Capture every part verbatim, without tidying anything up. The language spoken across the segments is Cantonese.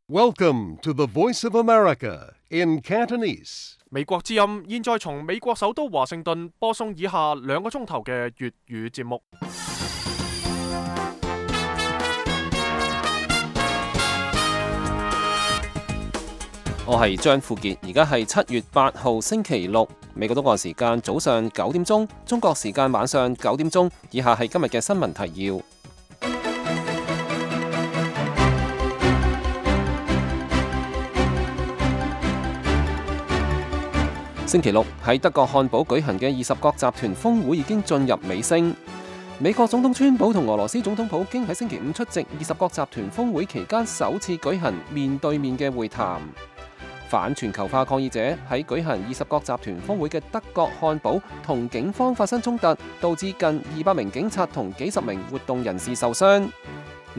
Welcome to the Voice of America in Cantonese. 美國之音現在從美國首都華盛頓播送以下兩個鐘頭嘅粵語節目。我係張富傑，而家係七月八號星期六，美國東岸時間早上九點鐘，中國時間晚上九點鐘。以下係今日嘅新聞提要。星期六喺德國漢堡舉行嘅二十國集團峰會已經進入尾聲。美國總統川普同俄羅斯總統普京喺星期五出席二十國集團峰會期間首次舉行面對面嘅會談。反全球化抗議者喺舉行二十國集團峰會嘅德國漢堡同警方發生衝突，導致近二百名警察同幾十名活動人士受傷。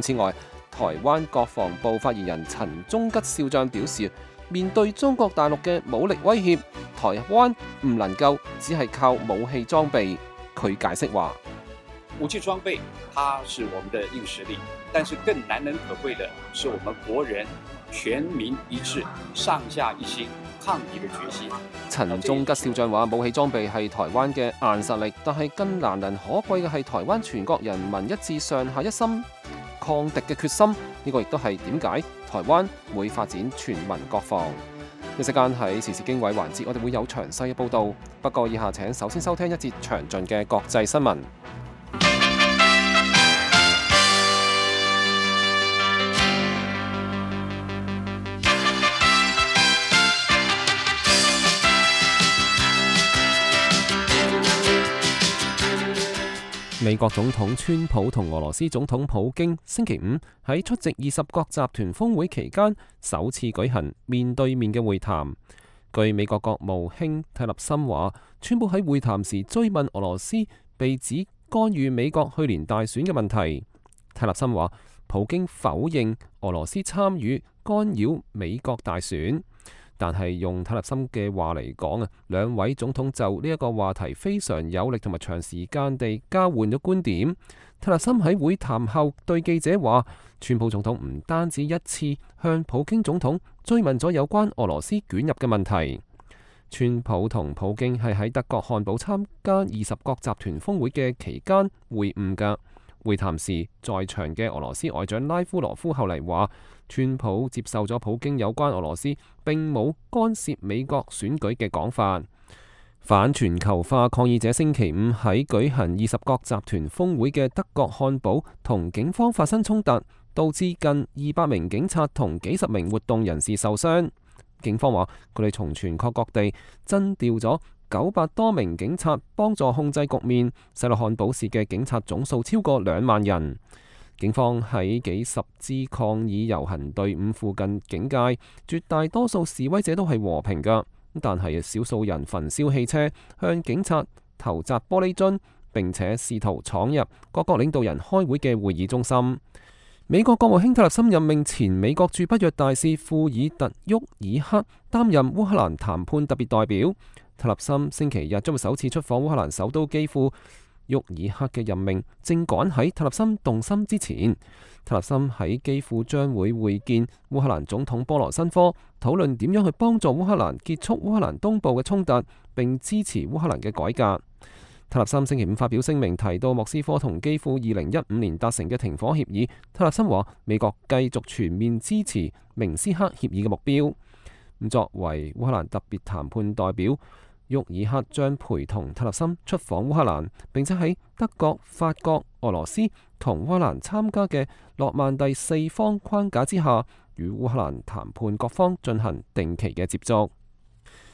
此外，台灣國防部發言人陳忠吉少將表示，面對中國大陸嘅武力威脅，台灣唔能夠只係靠武器裝備。佢解釋話：武器裝備，它是我們的硬實力，但是更難能可貴的是我們國人全民一致、上下一心抗敵嘅決心。陳忠吉少將話：武器裝備係台灣嘅硬實力，但係更難能可貴嘅係台灣全國人民一致、上下一心抗敵嘅決心。呢個亦都係點解台灣會發展全民國防。一時間喺時事經緯環節，我哋會有詳細嘅報導。不過以下請首先收聽一節詳盡嘅國際新聞。美國總統川普同俄羅斯總統普京星期五喺出席二十國集團峰會期間首次舉行面對面嘅會談。據美國國務卿泰勒森話，川普喺會談時追問俄羅斯被指干預美國去年大選嘅問題。泰勒森話，普京否認俄羅斯參與干擾美國大選。但係用泰勒森嘅話嚟講啊，兩位總統就呢一個話題非常有力同埋長時間地交換咗觀點。泰勒森喺會談後對記者話，川普總統唔單止一次向普京總統追問咗有關俄羅斯捲入嘅問題。川普同普京係喺德國漢堡參加二十國集團峰會嘅期間會晤㗎。會談時，在場嘅俄羅斯外長拉夫羅夫後嚟話，川普接受咗普京有關俄羅斯並冇干涉美國選舉嘅講法。反全球化抗議者星期五喺舉行二十國集團峰會嘅德國漢堡同警方發生衝突，導致近二百名警察同幾十名活動人士受傷。警方話，佢哋從全國各地徵調咗九百多名警察幫助控制局面，使到漢堡市嘅警察總數超過兩萬人。警方喺幾十支抗議遊行隊伍附近警戒，絕大多數示威者都係和平㗎，但係少數人焚燒汽車，向警察投擲玻璃樽，並且試圖闖入各國領導人開會嘅會議中心。美國國務卿特勒森任命前美國駐北約大使庫爾特沃爾克擔任烏克蘭談判特別代表。特勒森星期日將會首次出訪烏克蘭首都基輔。沃爾克嘅任命正趕喺特勒森動心之前。特勒森喺基輔將會會見烏克蘭總統波羅申科，討論點樣去幫助烏克蘭結束烏克蘭東部嘅衝突，並支持烏克蘭嘅改革。特勒森星期五發表聲明，提到莫斯科同基輔二零一五年達成嘅停火協議。特勒森話，美國繼續全面支持明斯克協議嘅目標。咁作為烏克蘭特別談判代表，沃爾克將陪同特勒森出訪烏克蘭，並且喺德國、法國、俄羅斯同烏克蘭參加嘅諾曼第四方框架之下，與烏克蘭談判各方進行定期嘅接觸。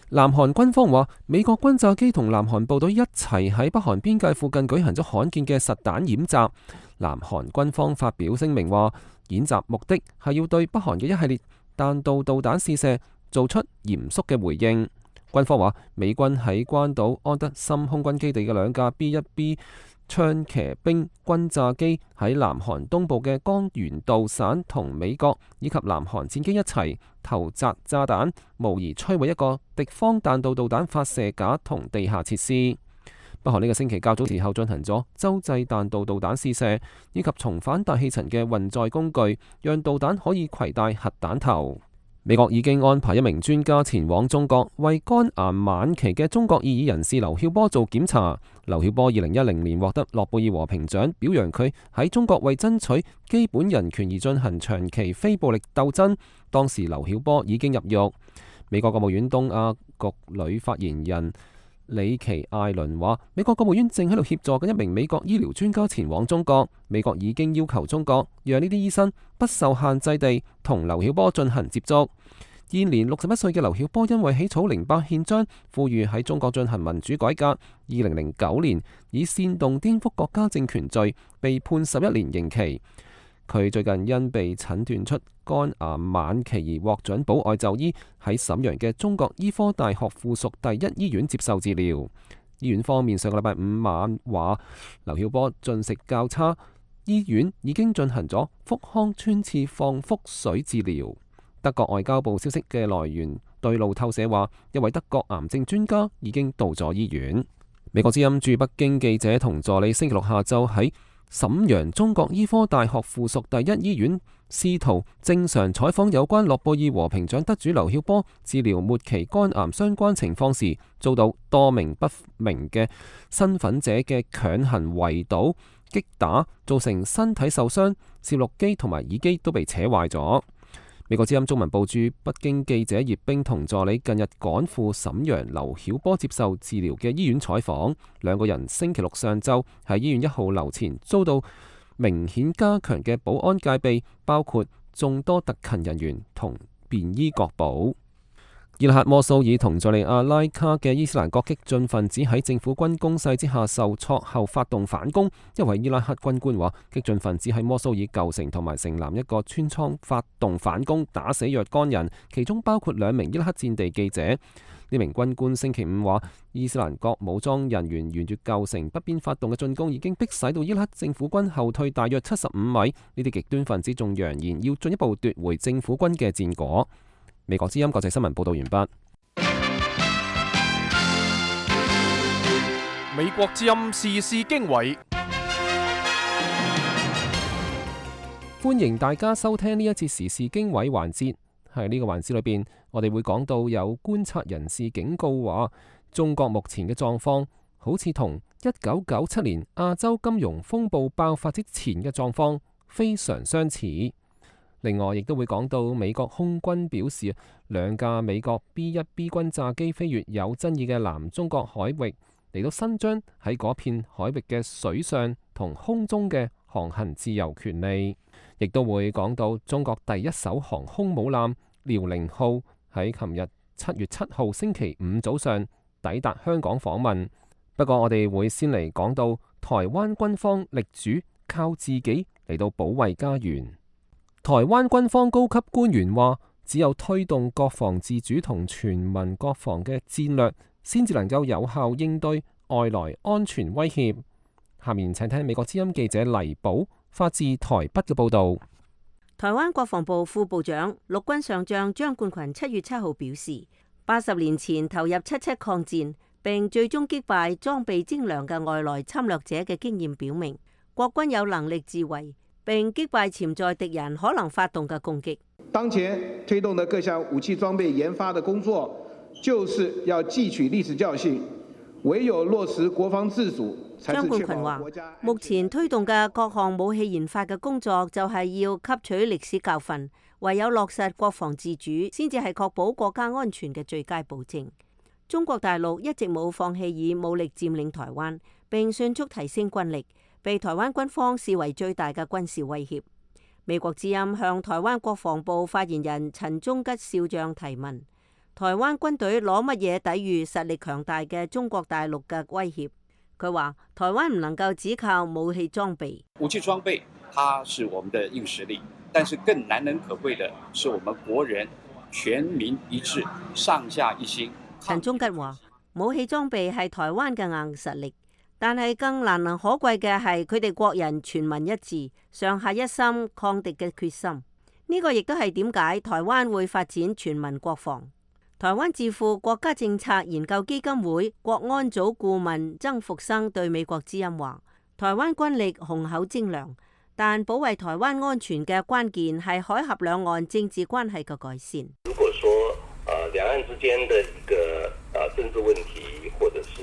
南韓軍方話，美國轟炸機同南韓部隊一齊喺北韓邊界附近舉行咗罕見嘅實彈演習。南韓軍方發表聲明話，演習目的係要對北韓嘅一系列彈道導彈試射做出嚴肅嘅回應。軍方話，美軍喺關島安德森空軍基地嘅兩架 B 一 B 槍騎兵轟炸機喺南韓東部嘅江原道省同美國以及南韓戰機一齊投擲炸彈，模擬摧毀一個敵方彈道導彈發射架同地下設施。北韓呢個星期較早時候進行咗洲際彈道導彈試射，以及重返大氣層嘅運載工具，讓導彈可以攜帶核彈頭。美國已經安排一名專家前往中國，為肝癌晚期嘅中國異議人士劉曉波做檢查。劉曉波二零一零年獲得諾貝爾和平獎，表揚佢喺中國為爭取基本人權而進行長期非暴力鬥爭。當時劉曉波已經入獄。美國國務院東亞局女發言人里奇艾倫話，美國國務院正喺度協助緊一名美國醫療專家前往中國。美國已經要求中國讓呢啲醫生不受限制地同劉曉波進行接觸。現年六十一歲嘅劉曉波因為起草零八憲章，呼籲喺中國進行民主改革，二零零九年以煽動顛覆國家政權罪被判十一年刑期。佢最近因被診斷出肝癌晚期而獲准保外就醫，喺瀋陽嘅中國醫科大學附屬第一醫院接受治療。醫院方面上個禮拜五晚話，劉曉波進食較差，醫院已經進行咗腹腔穿刺放腹水治療。德國外交部消息嘅來源對路透社話，一位德國癌症專家已經到咗醫院。美國之音駐北京記者同助理星期六下晝喺瀋陽中國醫科大學附屬第一醫院試圖正常採訪有關諾貝爾和平獎得主劉曉波治療末期肝癌相關情況時，遭到多名不明嘅身份者嘅強行圍堵、擊打，造成身體受傷，攝錄機同埋耳機都被扯壞咗。美國之音中文部駐北京記者葉冰同助理近日趕赴瀋陽劉曉波接受治療嘅醫院採訪，兩個人星期六上晝喺醫院一號樓前遭到明顯加強嘅保安戒備，包括眾多特勤人員同便衣確保。伊拉克摩蘇爾同敘利亞拉卡嘅伊斯蘭國激進分子喺政府軍攻勢之下受挫後發動反攻。一位伊拉克軍官話，激進分子喺摩蘇爾舊城同埋城南一個村莊發動反攻，打死若干人，其中包括兩名伊拉克戰地記者。呢名軍官星期五話，伊斯蘭國武裝人員沿住舊城北邊發動嘅進攻已經迫使到伊拉克政府軍後退大約七十五米。呢啲極端分子仲揚言要進一步奪回政府軍嘅戰果。美國之音國際新聞報道完畢。美國之音時事經緯，歡迎大家收聽呢一節時事經緯環節。喺呢個環節裏邊，我哋會講到有觀察人士警告話，中國目前嘅狀況好似同一九九七年亞洲金融風暴爆發之前嘅狀況非常相似。另外，亦都會講到美國空軍表示，兩架美國 B 一 B 軍炸機飛越有爭議嘅南中國海域，嚟到伸張喺嗰片海域嘅水上同空中嘅航行自由權利。亦都會講到中國第一艘航空母艦遼寧號喺琴日七月七號星期五早上抵達香港訪問。不過，我哋會先嚟講到台灣軍方力主靠自己嚟到保衛家園。台灣軍方高級官員話，只有推動國防自主同全民國防嘅戰略，先至能夠有效應對外來安全威脅。下面請聽美國之音記者黎寶發自台北嘅報道。台灣國防部副部長陸軍上將張冠群七月七號表示，八十年前投入七七抗戰，並最終擊敗裝備精良嘅外來侵略者嘅經驗表明，國軍有能力自衛，並擊敗潛在敵人可能發動嘅攻擊。當前推動的各項武器裝備研發的工作，就是要汲取歷史教訓，唯有落實國防自主。張冠群話：目前推動嘅各項武器研發嘅工作，就係要吸取歷史教訓，唯有落實國防自主，先至係確保國家安全嘅最佳保證。中國大陸一直冇放棄以武力佔領台灣，並迅速提升軍力，被台灣軍方視為最大嘅軍事威脅。美國之音向台灣國防部發言人陳忠吉少將提問：台灣軍隊攞乜嘢抵禦實力強大嘅中國大陸嘅威脅？佢話：台灣唔能夠只靠武器裝備，武器裝備它是我們的硬實力，但是更難能可貴的是我們國人全民一致、上下一心。陳忠吉話：武器裝備係台灣嘅硬實力，但係更難能可貴嘅係佢哋國人全民一致、上下一心抗敵嘅決心。呢個亦都係點解台灣會發展全民國防。台灣智庫國家政策研究基金會國安組顧問曾復生對美國之音話：台灣軍力雄厚精良，但保衛台灣安全嘅關鍵係海峽兩岸政治關係嘅改善。如果說呃兩岸之間的一個呃政治問題，或者是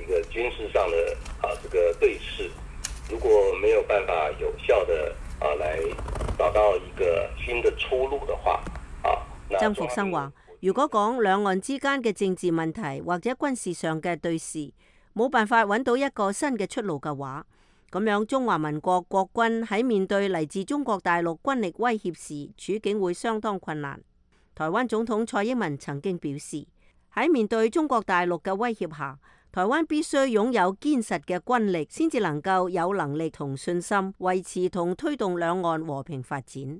一個軍事上的啊、呃、這個對峙，如果沒有辦法有效的啊、呃、來找到一個新的出路的話，啊，曾復生話：如果講兩岸之間嘅政治問題或者軍事上嘅對峙，冇辦法揾到一個新嘅出路嘅話，咁樣中華民國國軍喺面對嚟自中國大陸軍力威脅時，處境會相當困難。台灣總統蔡英文曾經表示，喺面對中國大陸嘅威脅下，台灣必須擁有堅實嘅軍力，先至能夠有能力同信心維持同推動兩岸和平發展。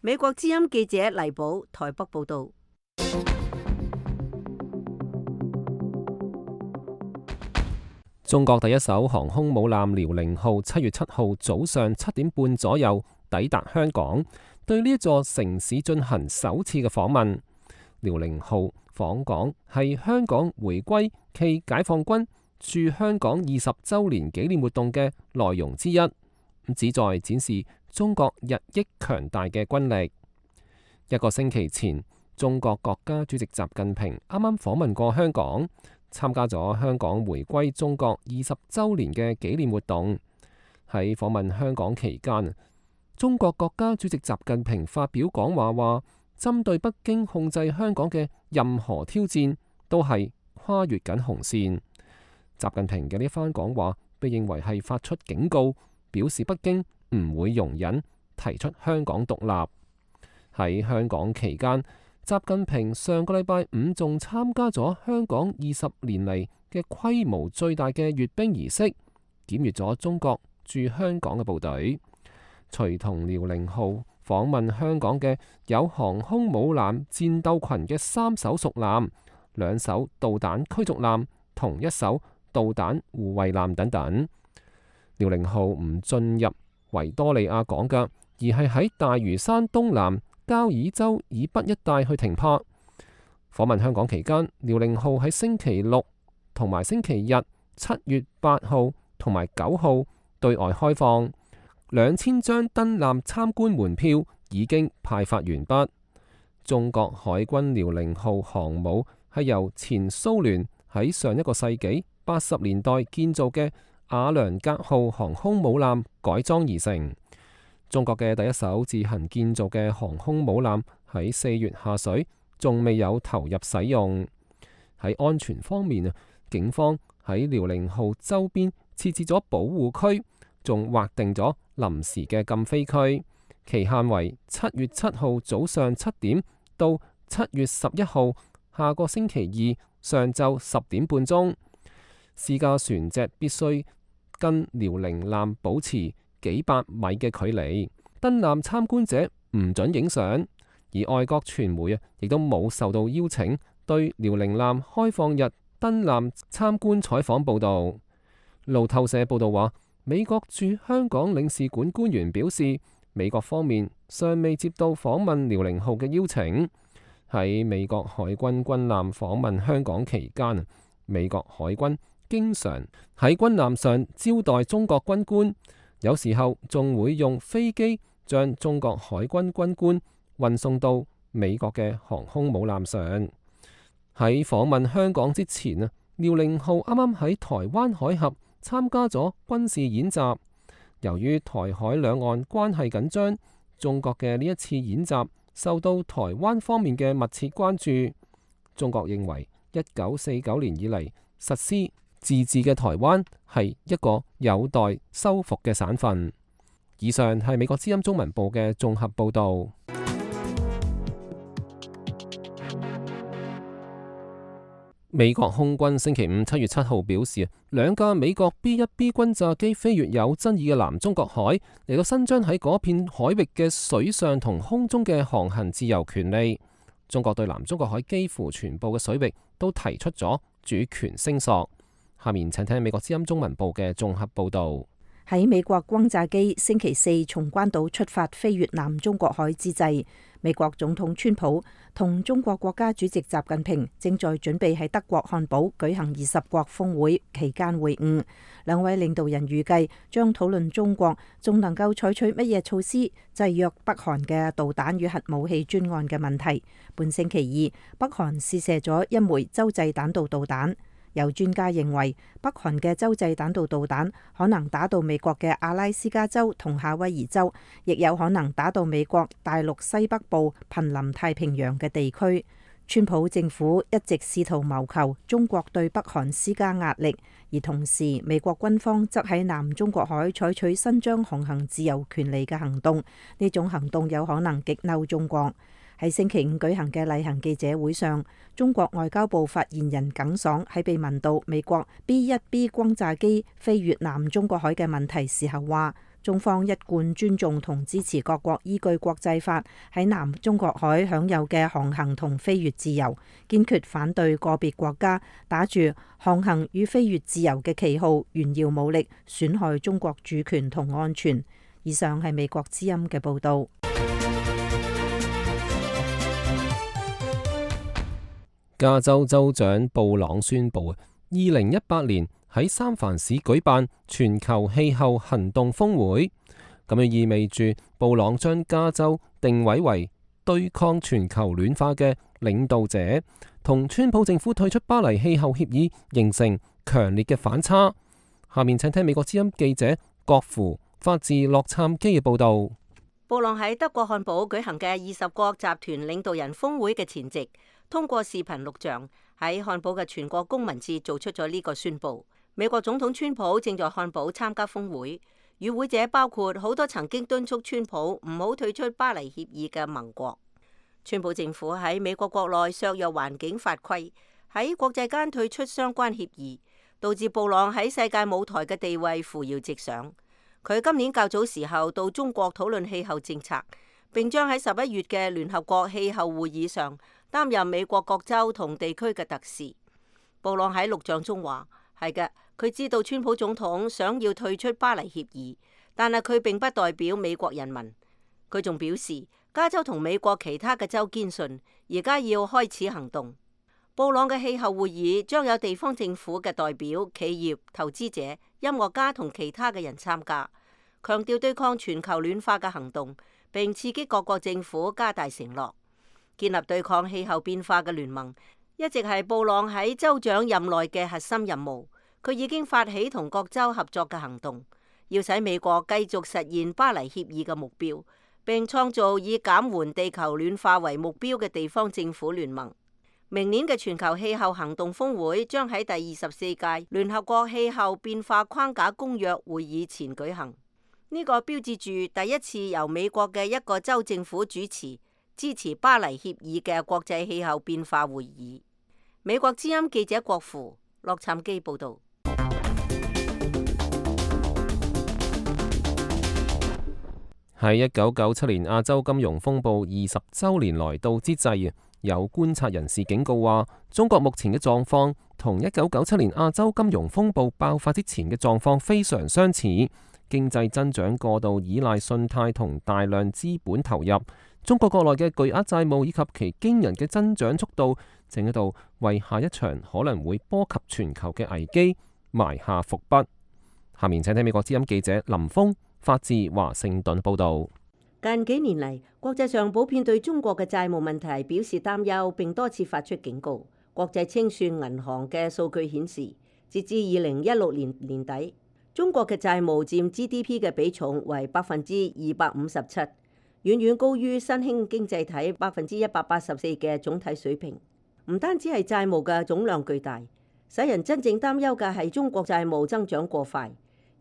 美國之音記者黎寶台北報道。中國第一艘航空母艦遼寧號七月七號早上七點半左右抵達香港，對呢一座城市進行首次嘅訪問。遼寧號訪港係香港回歸暨解放軍駐香港二十週年紀念活動嘅內容之一，旨在展示中國日益強大嘅軍力。一個星期前，中國國家主席習近平啱啱訪問過香港，參加咗香港回歸中國二十週年嘅紀念活動。喺訪問香港期間，中國國家主席習近平發表講話，話針對北京控制香港嘅任何挑戰都係跨越緊紅線。習近平嘅呢番講話被認為係發出警告，表示北京唔會容忍提出香港獨立。喺香港期間，習近平上個禮拜五仲參加咗香港二十年嚟嘅規模最大嘅閱兵儀式，檢閱咗中國駐香港嘅部隊。隨同遼寧號訪問香港嘅有航空母艦戰鬥群嘅三艘屬艦、兩艘導彈驅逐艦同一艘導彈護衛艦等等。遼寧號唔進入維多利亞港嘅，而係喺大嶼山東南交椅洲以北一帶去停泊。訪問香港期間，遼寧號喺星期六同埋星期日七月八號同埋九號對外開放，兩千張登艦參觀門票已經派發完畢。中國海軍遼寧號航母係由前蘇聯喺上一個世紀八十年代建造嘅瓦良格號航空母艦改裝而成。中國嘅第一艘自行建造嘅航空母艦喺四月下水，仲未有投入使用。喺安全方面啊，警方喺遼寧號周邊設置咗保護區，仲劃定咗臨時嘅禁飛區，期限為七月七號早上七點到七月十一號下個星期二上晝十點半鐘。私家船隻必須跟遼寧艦保持幾百米嘅距離，登艦參觀者唔准影相，而外國傳媒啊，亦都冇受到邀請對遼寧艦開放日登艦參觀採訪報導。路透社報導話，美國駐香港領事館官員表示，美國方面尚未接到訪問遼寧號嘅邀請。喺美國海軍軍艦訪問香港期間，美國海軍經常喺軍艦上招待中國軍官。有時候仲會用飛機將中國海軍軍官運送到美國嘅航空母艦上。喺訪問香港之前啊，遼寧號啱啱喺台灣海峽參加咗軍事演習。由於台海兩岸關係緊張，中國嘅呢一次演習受到台灣方面嘅密切關注。中國認為一九四九年以嚟實施自治嘅台灣係一個有待修復嘅省份。以上係美國之音中文部嘅綜合報導。美國空軍星期五七月七號表示，兩架美國 B 一 B 轟炸機飛越有爭議嘅南中國海，嚟到伸張喺嗰片海域嘅水上同空中嘅航行自由權利。中國對南中國海幾乎全部嘅水域都提出咗主權聲索。下面請聽美國之音中文部嘅綜合報導。喺美國轟炸機星期四從關島出發飛越南中國海之際，美國總統川普同中國國家主席習近平正在準備喺德國漢堡舉行二十國峰會期間會晤，兩位領導人預計將討論中國仲能夠採取乜嘢措施制約北韓嘅導彈與核武器專案嘅問題。本星期二，北韓試射咗一枚洲際彈道導彈。有專家認為，北韓嘅洲際彈道導彈可能打到美國嘅阿拉斯加州同夏威夷州，亦有可能打到美國大陸西北部瀕臨太平洋嘅地區。川普政府一直試圖謀求中國對北韓施加壓力，而同時美國軍方則喺南中國海採取伸張航行自由權利嘅行動，呢種行動有可能激嬲中國。喺星期五舉行嘅例行記者會上，中國外交部發言人耿爽喺被問到美國 B 一 B 轟炸機飛越南中國海嘅問題時候話，中方一貫尊重同支持各國依據國際法喺南中國海享有嘅航行同飛越自由，堅決反對個別國家打住航行與飛越自由嘅旗號炫耀武力，損害中國主權同安全。以上係美國之音嘅報導。加州州長布朗宣布，二零一八年喺三藩市舉辦全球氣候行動峰會，咁樣意味住布朗將加州定位為對抗全球暖化嘅領導者，同川普政府退出巴黎氣候協議形成強烈嘅反差。下面請聽美國之音記者郭芙發自洛杉磯嘅報道。布朗喺德國漢堡舉行嘅二十國集團領導人峰會嘅前夕，通過視頻錄像喺漢堡嘅全國公民節做出咗呢個宣布。美國總統川普正在漢堡參加峰會，與會者包括好多曾經敦促川普唔好退出巴黎協議嘅盟國。川普政府喺美國國內削弱環境法規，喺國際間退出相關協議，導致布朗喺世界舞台嘅地位扶搖直上。佢今年較早時候到中國討論氣候政策，並將喺十一月嘅聯合國氣候會議上擔任美國各州同地區嘅特使。布朗喺錄像中話：係嘅，佢知道川普總統想要退出巴黎協議，但係佢並不代表美國人民。佢仲表示，加州同美國其他嘅州堅信，而家要開始行動。布朗嘅氣候會議將有地方政府嘅代表、企業、投資者、音樂家同其他嘅人參加，強調對抗全球暖化嘅行動，並刺激各國政府加大承諾。建立對抗氣候變化嘅聯盟一直係布朗喺州長任內嘅核心任務。佢已經發起同各州合作嘅行動，要使美國繼續實現巴黎協議嘅目標，並創造以減緩地球暖化為目標嘅地方政府聯盟。明年嘅全球氣候行動峰會將喺第二十四屆聯合國氣候變化框架公約會議前舉行。呢個標誌住第一次由美國嘅一個州政府主持支持巴黎協議嘅國際氣候變化會議。美國之音記者郭芙，洛杉磯報道。喺一九九七年亞洲金融風暴二十週年來到之際，有觀察人士警告話，中國目前嘅狀況同一九九七年亞洲金融風暴爆發之前嘅狀況非常相似，經濟增長過度依賴信貸同大量資本投入，中國國內嘅巨額債務以及其驚人嘅增長速度，正喺度為下一場可能會波及全球嘅危機埋下伏筆。下面請聽美國之音記者林峰發自華盛頓報道。近幾年嚟，國際上普遍對中國嘅債務問題表示擔憂，並多次發出警告。國際清算銀行嘅數據顯示，截至二零一六年年底，中國嘅債務佔 G D P 嘅比重為百分之二百五十七，遠遠高於新興經濟體百分之一百八十四嘅總體水平。唔單止係債務嘅總量巨大，使人真正擔憂嘅係中國債務增長過快。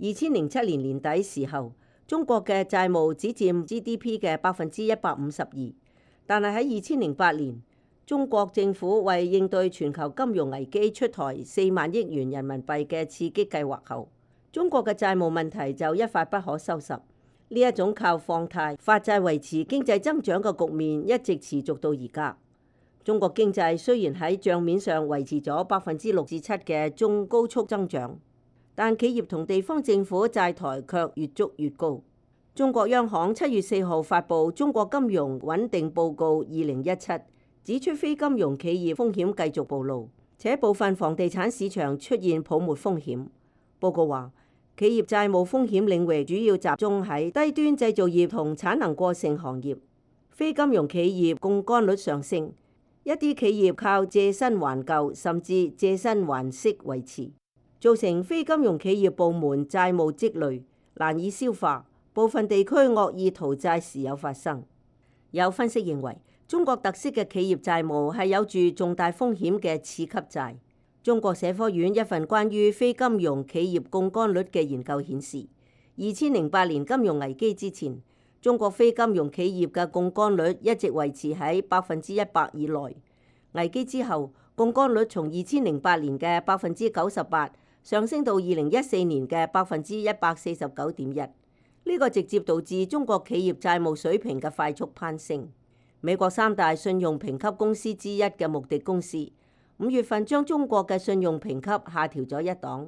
二千零七年年底時候，中國嘅債務只佔 G D P 嘅百分之一百五十二，但係喺二千零八年，中國政府為應對全球金融危機出台四萬億元人民幣嘅刺激計劃後，中國嘅債務問題就一發不可收拾。呢一種靠放貸發債維持經濟增長嘅局面一直持續到而家。中國經濟雖然喺帳面上維持咗百分之六至七嘅中高速增長，但企業同地方政府債台卻越築越高。中國央行七月四號發布《中國金融穩定報告二零一七》，指出非金融企業風險繼續暴露，且部分房地產市場出現泡沫風險。報告話，企業債務風險領域主要集中喺低端製造業同產能過剩行業，非金融企業槓桿率上升，一啲企業靠借新還舊甚至借新還息維持，造成非金融企業部門債務積累難以消化。部分地區惡意逃債時有發生。有分析認為，中國特色嘅企業債務係有住重大風險嘅次級債。中國社科院一份關於非金融企業槓桿率嘅研究顯示，二千零八年金融危機之前，中國非金融企業嘅槓桿率一直維持喺百分之一百以內。危機之後，槓桿率從二千零八年嘅百分之九十八上升到二零一四年嘅百分之一百四十九點一。呢個直接導致中國企業債務水平嘅快速攀升。美國三大信用評級公司之一嘅穆迪公司，五月份將中國嘅信用評級下調咗一檔，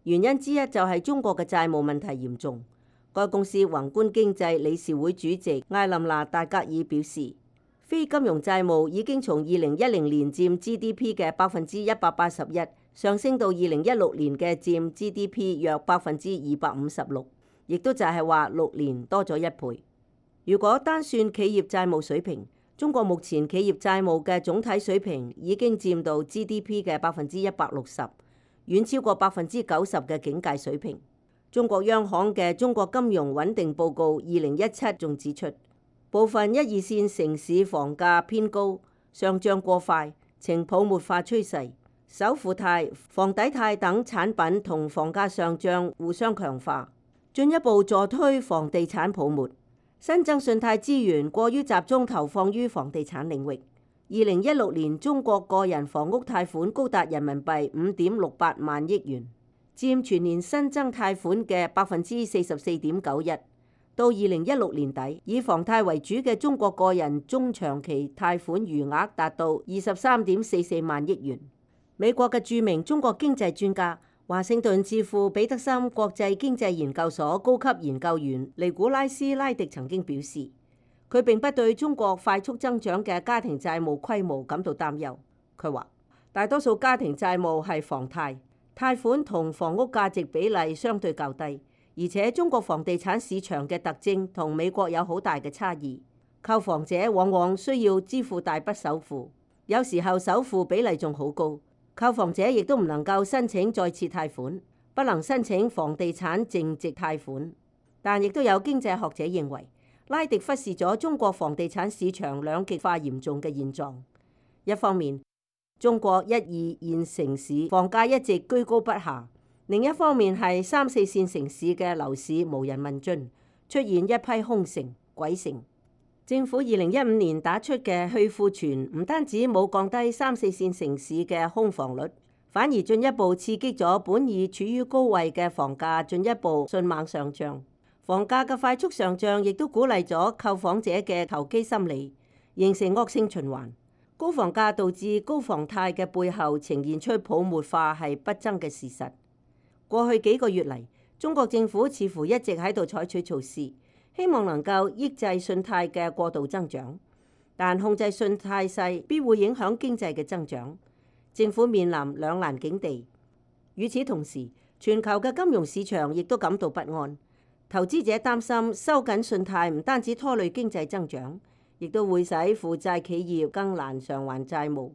原因之一就係中國嘅債務問題嚴重。該公司宏觀經濟理事會主席艾琳娜戴格爾表示，非金融債務已經從二零一零年佔 G D P 嘅百分之一百八十一上升到二零一六年嘅佔 G D P 約百分之二百五十六。亦都就係話六年多咗一倍。如果單算企業債務水平，中國目前企業債務嘅總體水平已經佔到 G D P 嘅百分之一百六十，遠超過百分之九十嘅警戒水平。中國央行嘅《中國金融穩定報告二零一七》仲指出，部分一二線城市房價偏高，上漲過快，呈泡沫化趨勢。首付貸、房抵貸等產品同房價上漲互相強化，進一步助推房地產泡沫，新增信貸資源過於集中投放於房地產領域。二零一六年中國個人房屋貸款高達人民幣五點六八萬億元，佔全年新增貸款嘅百分之四十四點九一。到二零一六年底，以房貸為主嘅中國個人中長期貸款餘額達到二十三點四四萬億元。美國嘅著名中國經濟專家，華盛頓智庫彼得森國際經濟研究所高級研究員尼古拉斯拉迪曾經表示，佢並不對中國快速增長嘅家庭債務規模感到擔憂。佢話，大多數家庭債務係房貸，貸款同房屋價值比例相對較低，而且中國房地產市場嘅特徵同美國有好大嘅差異。購房者往往需要支付大筆首付，有時候首付比例仲好高。購房者亦都唔能夠申請再次貸款，不能申請房地產淨值貸款。但亦都有經濟學者認為，拉迪忽視咗中國房地產市場兩極化嚴重嘅現狀。一方面，中國一二線城市房價一直居高不下；另一方面係三四線城市嘅樓市無人問津，出現一批空城、鬼城。政府二零一五年打出嘅去庫存，唔單止冇降低三四線城市嘅空房率，反而進一步刺激咗本已處於高位嘅房價進一步迅猛上漲。房價嘅快速上漲，亦都鼓勵咗購房者嘅投機心理，形成惡性循環。高房價導致高房貸嘅背後呈現出泡沫化係不爭嘅事實。過去幾個月嚟，中國政府似乎一直喺度採取措施，希望能夠抑制信貸嘅過度增長，但控制信貸勢必會影響經濟嘅增長。政府面臨兩難境地。與此同時，全球嘅金融市場亦都感到不安。投資者擔心收緊信貸唔單止拖累經濟增長，亦都會使負債企業更難償還債務。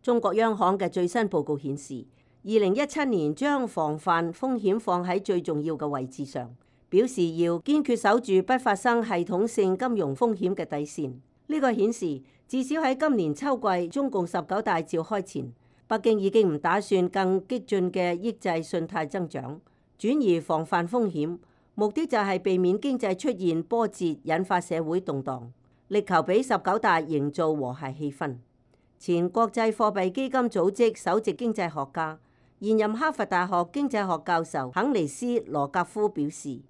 中國央行嘅最新報告顯示，二零一七年將防範風險放喺最重要嘅位置上，表示要堅決守住不發生系統性金融風險嘅底線。呢個顯示至少喺今年秋季中共十九大召開前，北京已經唔打算更激進嘅抑制信貸增長，轉而防範風險，目的就係避免經濟出現波折，引發社會動盪，力求俾十九大營造和諧氣氛。前國際貨幣基金組織首席經濟學家、現任哈佛大學經濟學教授肯尼斯·羅格夫表示，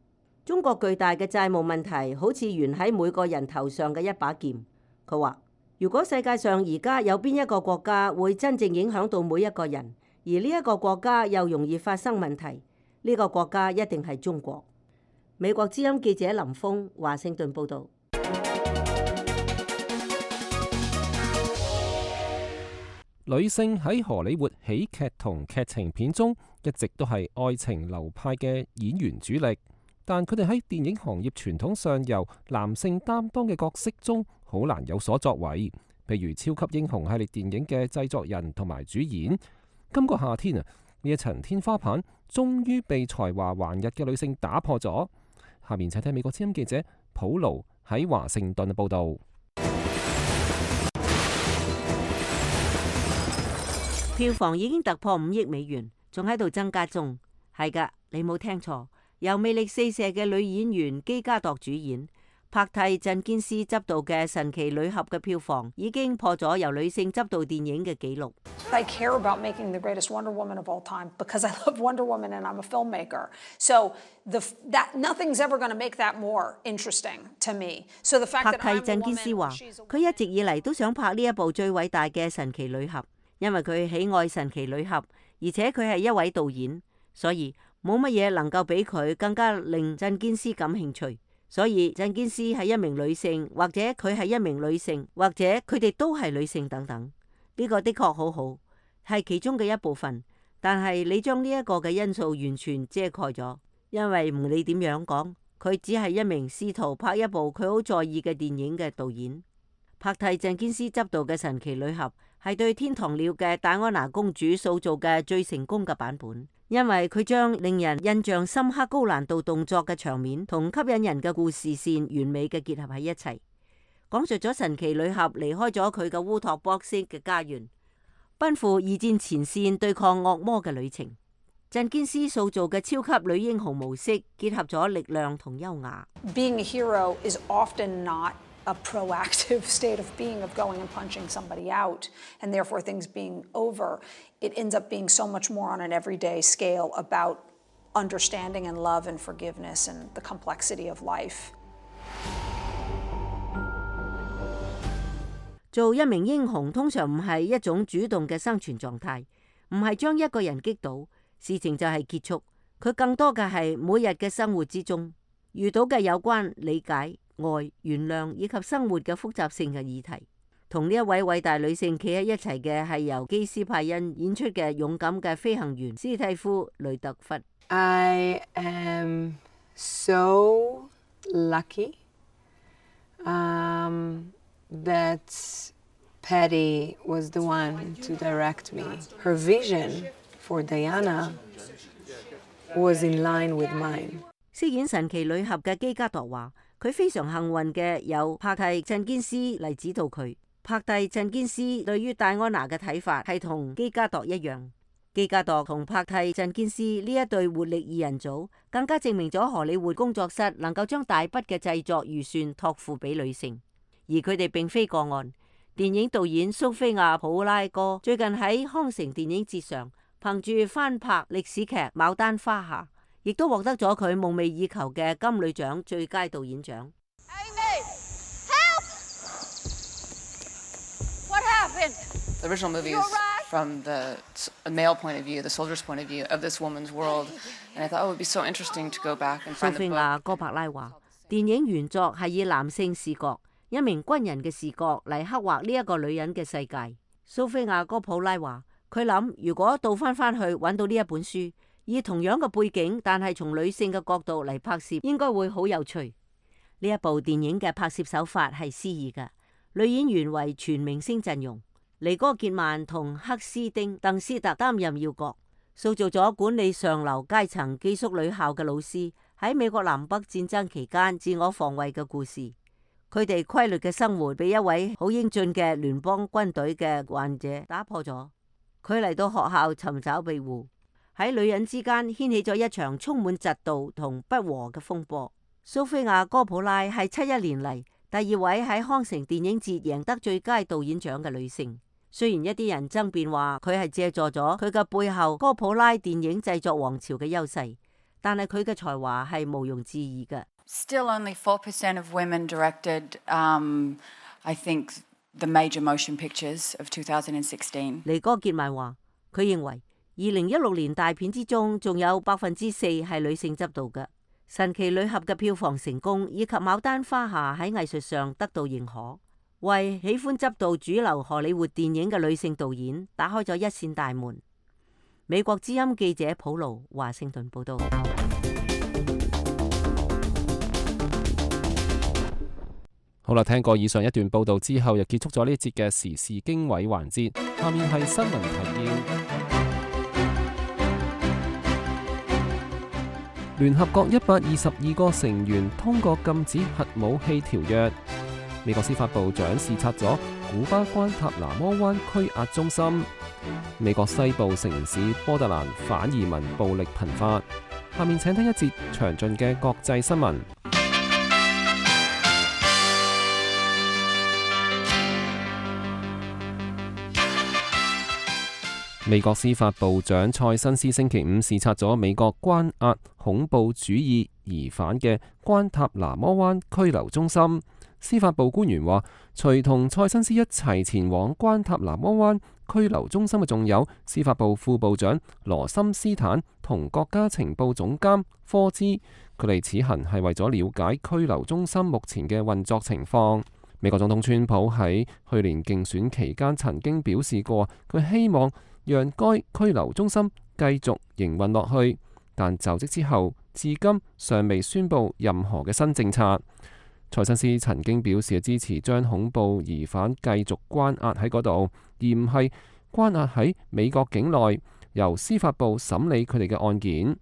中國巨大嘅債務問題好似懸喺每個人頭上嘅一把劍。佢話，如果世界上而家有邊一個國家會真正影響到每一個人，而呢一個國家又容易發生問題，呢個國家一定係中國。美國之音記者林峰華盛頓報導。女性喺荷里活喜劇同劇情片中一直都係愛情流派嘅演員主力，但佢哋喺電影行業傳統上由男性擔當嘅角色中好難有所作為。譬如超級英雄系列電影嘅製作人同埋主演。今個夏天啊，呢一層天花板終於被才華橫溢嘅女性打破咗。下面請睇美國之音記者普勞喺華盛頓嘅報導。票房已經突破五億美元，仲喺度增加中。係㗎，你冇聽錯，由魅力四射嘅女演員基加朵主演，拍替鎮堅斯執導嘅《神奇女俠》嘅票房已經破咗由女性執導電影嘅紀錄。I care about making the greatest Wonder Woman of all time because I love Wonder Woman and I'm a filmmaker. So the that nothing's ever going to make that more interesting to me. So the fact that I'm a woman, 拍替鎮堅斯話，佢一直以嚟都想拍呢一部最偉大嘅神奇女俠，因為佢喜愛神奇女俠，而且佢係一位導演，所以冇乜嘢能夠比佢更加令鎮堅斯感興趣。所以鎮堅斯係一名女性，或者佢係一名女性，或者佢哋都係女性等等。呢個的確好好，係其中嘅一部分。但係你將呢一個嘅因素完全遮蓋咗，因為唔理點樣講，佢只係一名試圖拍一部佢好在意嘅電影嘅導演。拍替鎮堅斯執導嘅神奇女俠係對天堂鳥嘅戴安娜公主塑造嘅最成功嘅版本。因為佢將令人印象深刻高難度動作嘅場面同吸引人嘅故事線完美嘅結合喺一齊，講述咗神奇女俠離開咗佢嘅烏托邦式嘅家園，奔赴二戰前線對抗惡魔嘅旅程。鎮堅斯塑造嘅超級女英雄模式結合咗力量同優雅。Being a hero is often not a proactive state of being of going and punching somebody out and therefore things being over. It ends up being so much more on an everyday scale about understanding and love and forgiveness and the complexity of life. 做一名英雄通常唔係一種主動嘅生存狀態，唔係將一個人擊倒，事情就係結束。佢更多嘅係每日嘅生活之中遇到嘅有關理解、愛、原諒以及生活嘅複雜性嘅議題。同呢一位偉大女性企喺一齊嘅係由基斯派恩演出嘅勇敢嘅飛行員斯蒂夫雷特弗。I am so lucky um, that Patty was the one to direct me. Her vision for Diana was in line with mine. 飾演神奇女俠嘅基加朵話，佢非常幸運嘅有拍替鎮堅斯嚟指導佢。拍替鎮堅斯對於戴安娜嘅睇法係同基加朵一樣。基加朵同拍替鎮堅斯呢一對活力二人組，更加證明咗荷里活工作室能夠將大筆嘅製作預算託付俾女性，而佢哋並非個案。電影導演蘇菲亞普拉哥最近喺康城電影節上，憑住翻拍歷史劇《牡丹花下》，亦都獲得咗佢夢寐以求嘅金女獎最佳導演獎。The original movie is from the male point of view, the soldier's point of view of this woman's world, and I thought, oh, it would be so interesting to go back and find the book. 蘇菲亞哥柏拉話，電影原作係以男性視角，一名軍人嘅視角嚟刻畫呢一個女人嘅世界。蘇菲亞哥普拉話，佢諗如果倒翻翻去揾到呢一本書，以同樣嘅背景，但係從女性嘅角度嚟拍攝，應該會好有趣。呢一部電影嘅拍攝手法係詩意嘅，女演員為全明星陣容。尼哥傑曼同克斯丁·鄧斯特擔任要角，塑造咗管理上流階層寄宿女校嘅老師喺美國南北戰爭期間自我防衛嘅故事。佢哋規律嘅生活被一位好英俊嘅聯邦軍隊嘅患者打破咗。佢嚟到學校尋找庇護，喺女人之間掀起咗一場充滿嫉妒同不和嘅風波。蘇菲亞·哥普拉係七一年嚟第二位喺康城電影節贏得最佳導演獎嘅女性。雖然一啲人爭辯話佢係借助咗佢嘅背後哥普拉電影製作王朝嘅優勢，但係佢嘅才華係毋庸置疑嘅。Still only four percent of women directed, um, I think, the major motion pictures of two thousand sixteen. 尼哥傑曼話，佢認為二零一六年大片之中仲有百分之四係女性執導嘅。神奇女俠嘅票房成功，以及牡丹花下喺藝術上得到認可，為喜歡執導主流荷里活電影嘅女性導演打開咗一扇大門。美國之音記者普盧華盛頓報道。好啦，聽過以上一段報道之後，又結束咗呢一節嘅時事經緯環節。下面係新聞提要。聯合國一百二十二個成員通過禁止核武器條約。美國司法部長視察咗古巴關塔那摩灣拘押中心。美國西部城市波特蘭反移民暴力頻發。下面請聽一節詳盡嘅國際新聞。美國司法部長塞申斯星期五視察咗美國關押恐怖主義疑犯嘅關塔那摩灣拘留中心。司法部官員話，隨同塞申斯一齊前往關塔那摩灣拘留中心嘅仲有司法部副部長羅森斯坦同國家情報總監科茲。佢哋此行係為咗了解拘留中心目前嘅運作情況。美國總統川普喺去年競選期間曾經表示過，佢希望讓該拘留中心繼續營運落去，但就職之後至今尚未宣布任何嘅新政策。塞申斯曾經表示支持將恐怖疑犯繼續關押喺嗰度，而唔係關押喺美國境內，由司法部審理佢哋嘅案件。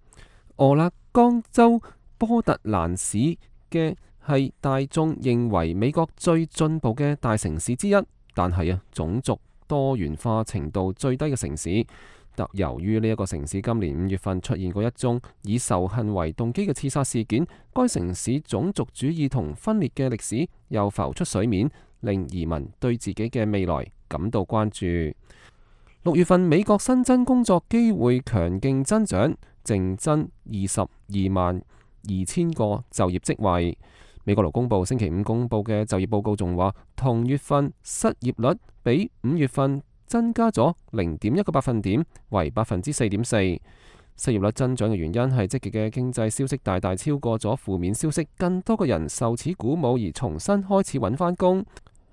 俄勒岡州波特蘭市嘅係大眾認為美國最進步嘅大城市之一，但係啊種族多元化程度最低嘅城市。特由於呢一個城市今年五月份出現過一宗以仇恨為動機嘅刺殺事件，該城市種族主義同分裂嘅歷史又浮出水面，令移民對自己嘅未來感到關注。六月份美國新增工作機會強勁增長，淨增二十二萬二千個就業職位。美國勞工部星期五公布嘅就業報告仲話，同月份失業率比五月份增加咗零點一個百分點，為百分之四點四。失業率增長嘅原因係積極嘅經濟消息大大超過咗負面消息，更多嘅人受此鼓舞而重新開始揾返工。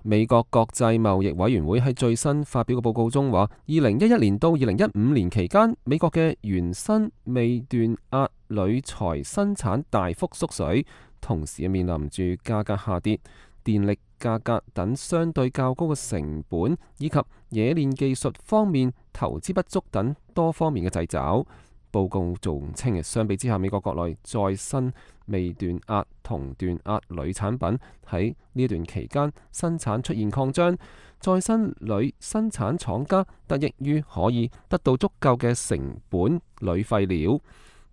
美國國際貿易委員會喺最新發表嘅報告中話，二零一一年到二零一五年期間，美國嘅原生未斷壓鋁材生產大幅縮水，同時面臨住價格下跌、電力價格等相對較高嘅成本，以及冶煉技術方面投資不足等多方面嘅掣肘。報告仲稱嘅，相比之下，美國國內再生未斷壓同斷壓鋁產品喺呢一段期間生產出現擴張，再生鋁生產廠家得益於可以得到足夠嘅成本鋁廢料，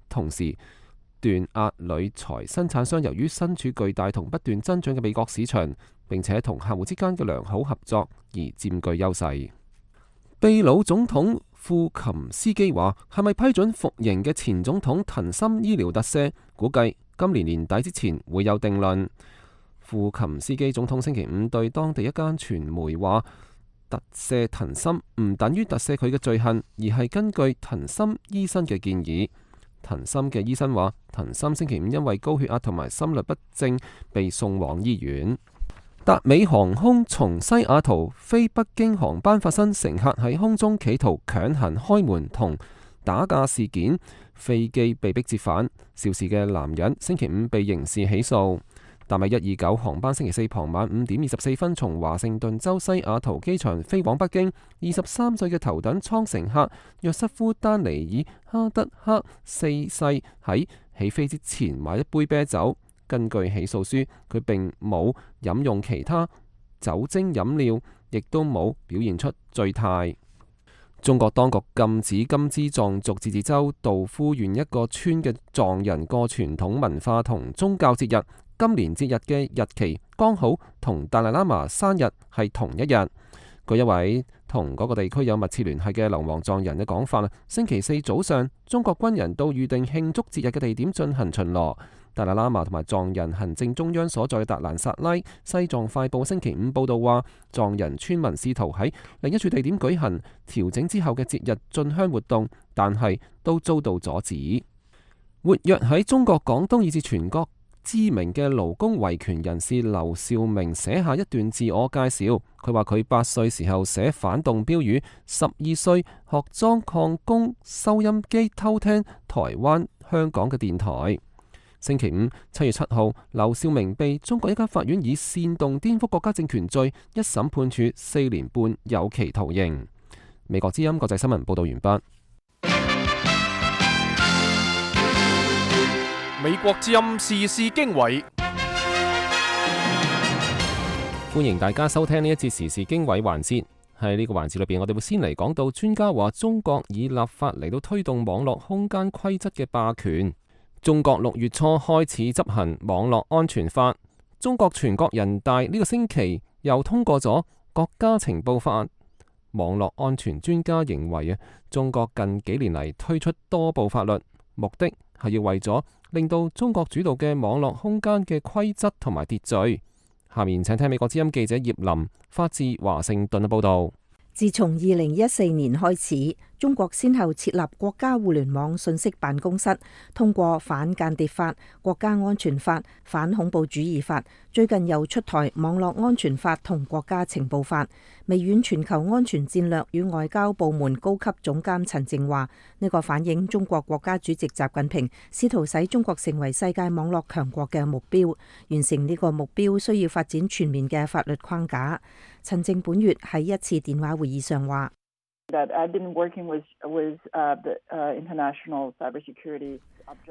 同時斷壓鋁材生產商由於身處巨大同不斷增長嘅美國市場，並且同客戶之間嘅良好合作而佔據優勢。秘魯總統庫琴斯基話，係咪批准服刑嘅前總統藤森醫療特赦，估計今年年底之前會有定論。庫琴斯基總統星期五對當地一間傳媒話，特赦藤森唔等於特赦佢嘅罪行，而係根據藤森醫生嘅建議。藤森嘅醫生話，藤森星期五因為高血壓同埋心律不正被送往醫院。達美航空從西雅圖飛北京航班發生乘客喺空中企圖強行開門同打架事件，飛機被迫折返，肇事嘅男人星期五被刑事起訴。達美一二九航班星期四傍晚五點二十四分從華盛頓州西雅圖機場飛往北京，二十三歲嘅頭等艙乘客約瑟夫丹尼爾哈德克四世喺起飛之前買一杯啤酒。根據起訴書，佢並冇飲用其他酒精飲料，亦都冇表現出醉態。中國當局禁止金枝藏族自治州道夫縣一個村嘅藏人過傳統文化同宗教節日。今年節日嘅日期剛好同達賴喇嘛生日係同一日。據一位同嗰個地區有密切聯繫嘅流亡藏人嘅講法，星期四早上，中國軍人到預定慶祝節日嘅地點進行巡邏。達賴喇嘛同埋藏人行政中央所在嘅達蘭薩拉，西藏快報星期五報道話，藏人村民試圖喺另一處地點舉行調整之後嘅節日進香活動，但係都遭到阻止。活躍喺中國廣東以至全國知名嘅勞工維權人士劉兆明寫下一段自我介紹。佢話佢八歲時候寫反動標語，十二歲學裝礦工收音機偷聽台灣、香港嘅電台。星期五七月七號，劉兆明被中國一間法院以煽動顛覆國家政權罪一審判處四年半有期徒刑。美國之音國際新聞報道完畢。美國之音時事經緯，歡迎大家收聽呢一節時事經緯環節。喺呢個環節裏邊，我哋會先嚟講到專家話中國以立法嚟到推動網絡空間規則嘅霸權。中國六月初開始執行網絡安全法，中國全國人大呢個星期又通過咗國家情報法。網絡安全專家認為啊，中國近幾年嚟推出多部法律，目的係要為咗令到中國主導嘅網絡空間嘅規則同埋秩序。下面請聽美國之音記者葉林發自華盛頓嘅報道。自從二零一四年開始，中國先後設立國家互聯網信息辦公室，通過反間諜法、國家安全法、反恐怖主義法，最近又出台網絡安全法同國家情報法。微軟全球安全戰略與外交部門高級總監陳靜話：呢個反映中國國家主席習近平試圖使中國成為世界網絡強國嘅目標。完成呢個目標需要發展全面嘅法律框架。陳靜本月喺一次電話會議上話：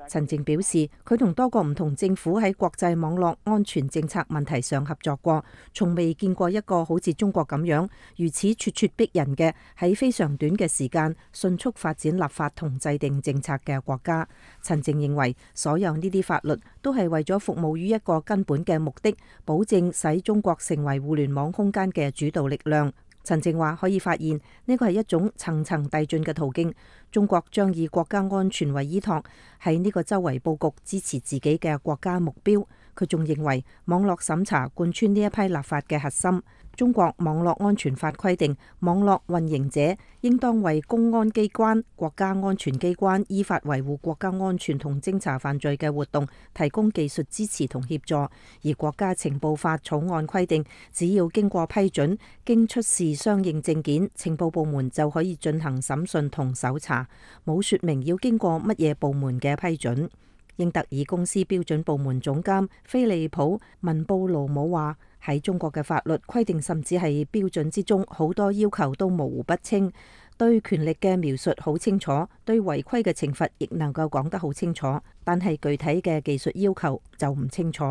陳靜表示，佢同多個唔同政府喺國際網絡安全政策問題上合作過，從未見過一個好似中國咁樣如此咄咄逼人嘅喺非常短嘅時間迅速發展立法同制定政策嘅國家。陳靜認為，所有呢啲法律都係為咗服務於一個根本嘅目的，保證使中國成為互聯網空間嘅主導力量。陳靜話可以發現呢個係一種層層遞進嘅途徑，中國將以國家安全為依託，喺呢個周圍佈局支持自己嘅國家目標。佢仲認為網絡審查貫穿呢一批立法嘅核心。中國網絡安全法規定，網絡運營者應當為公安機關、國家安全機關依法維護國家安全同偵查犯罪嘅活動提供技術支持同協助。而國家情報法草案規定，只要經過批准，經出示相應證件，情報部門就可以進行審訊同搜查，冇說明要經過乜嘢部門嘅批准。英特爾公司標準部門總監菲利普文布勞姆話：喺中國嘅法律規定，甚至係標準之中，好多要求都模糊不清，對權力嘅描述好清楚，對違規嘅懲罰亦能夠講得好清楚，但係具體嘅技術要求就唔清楚。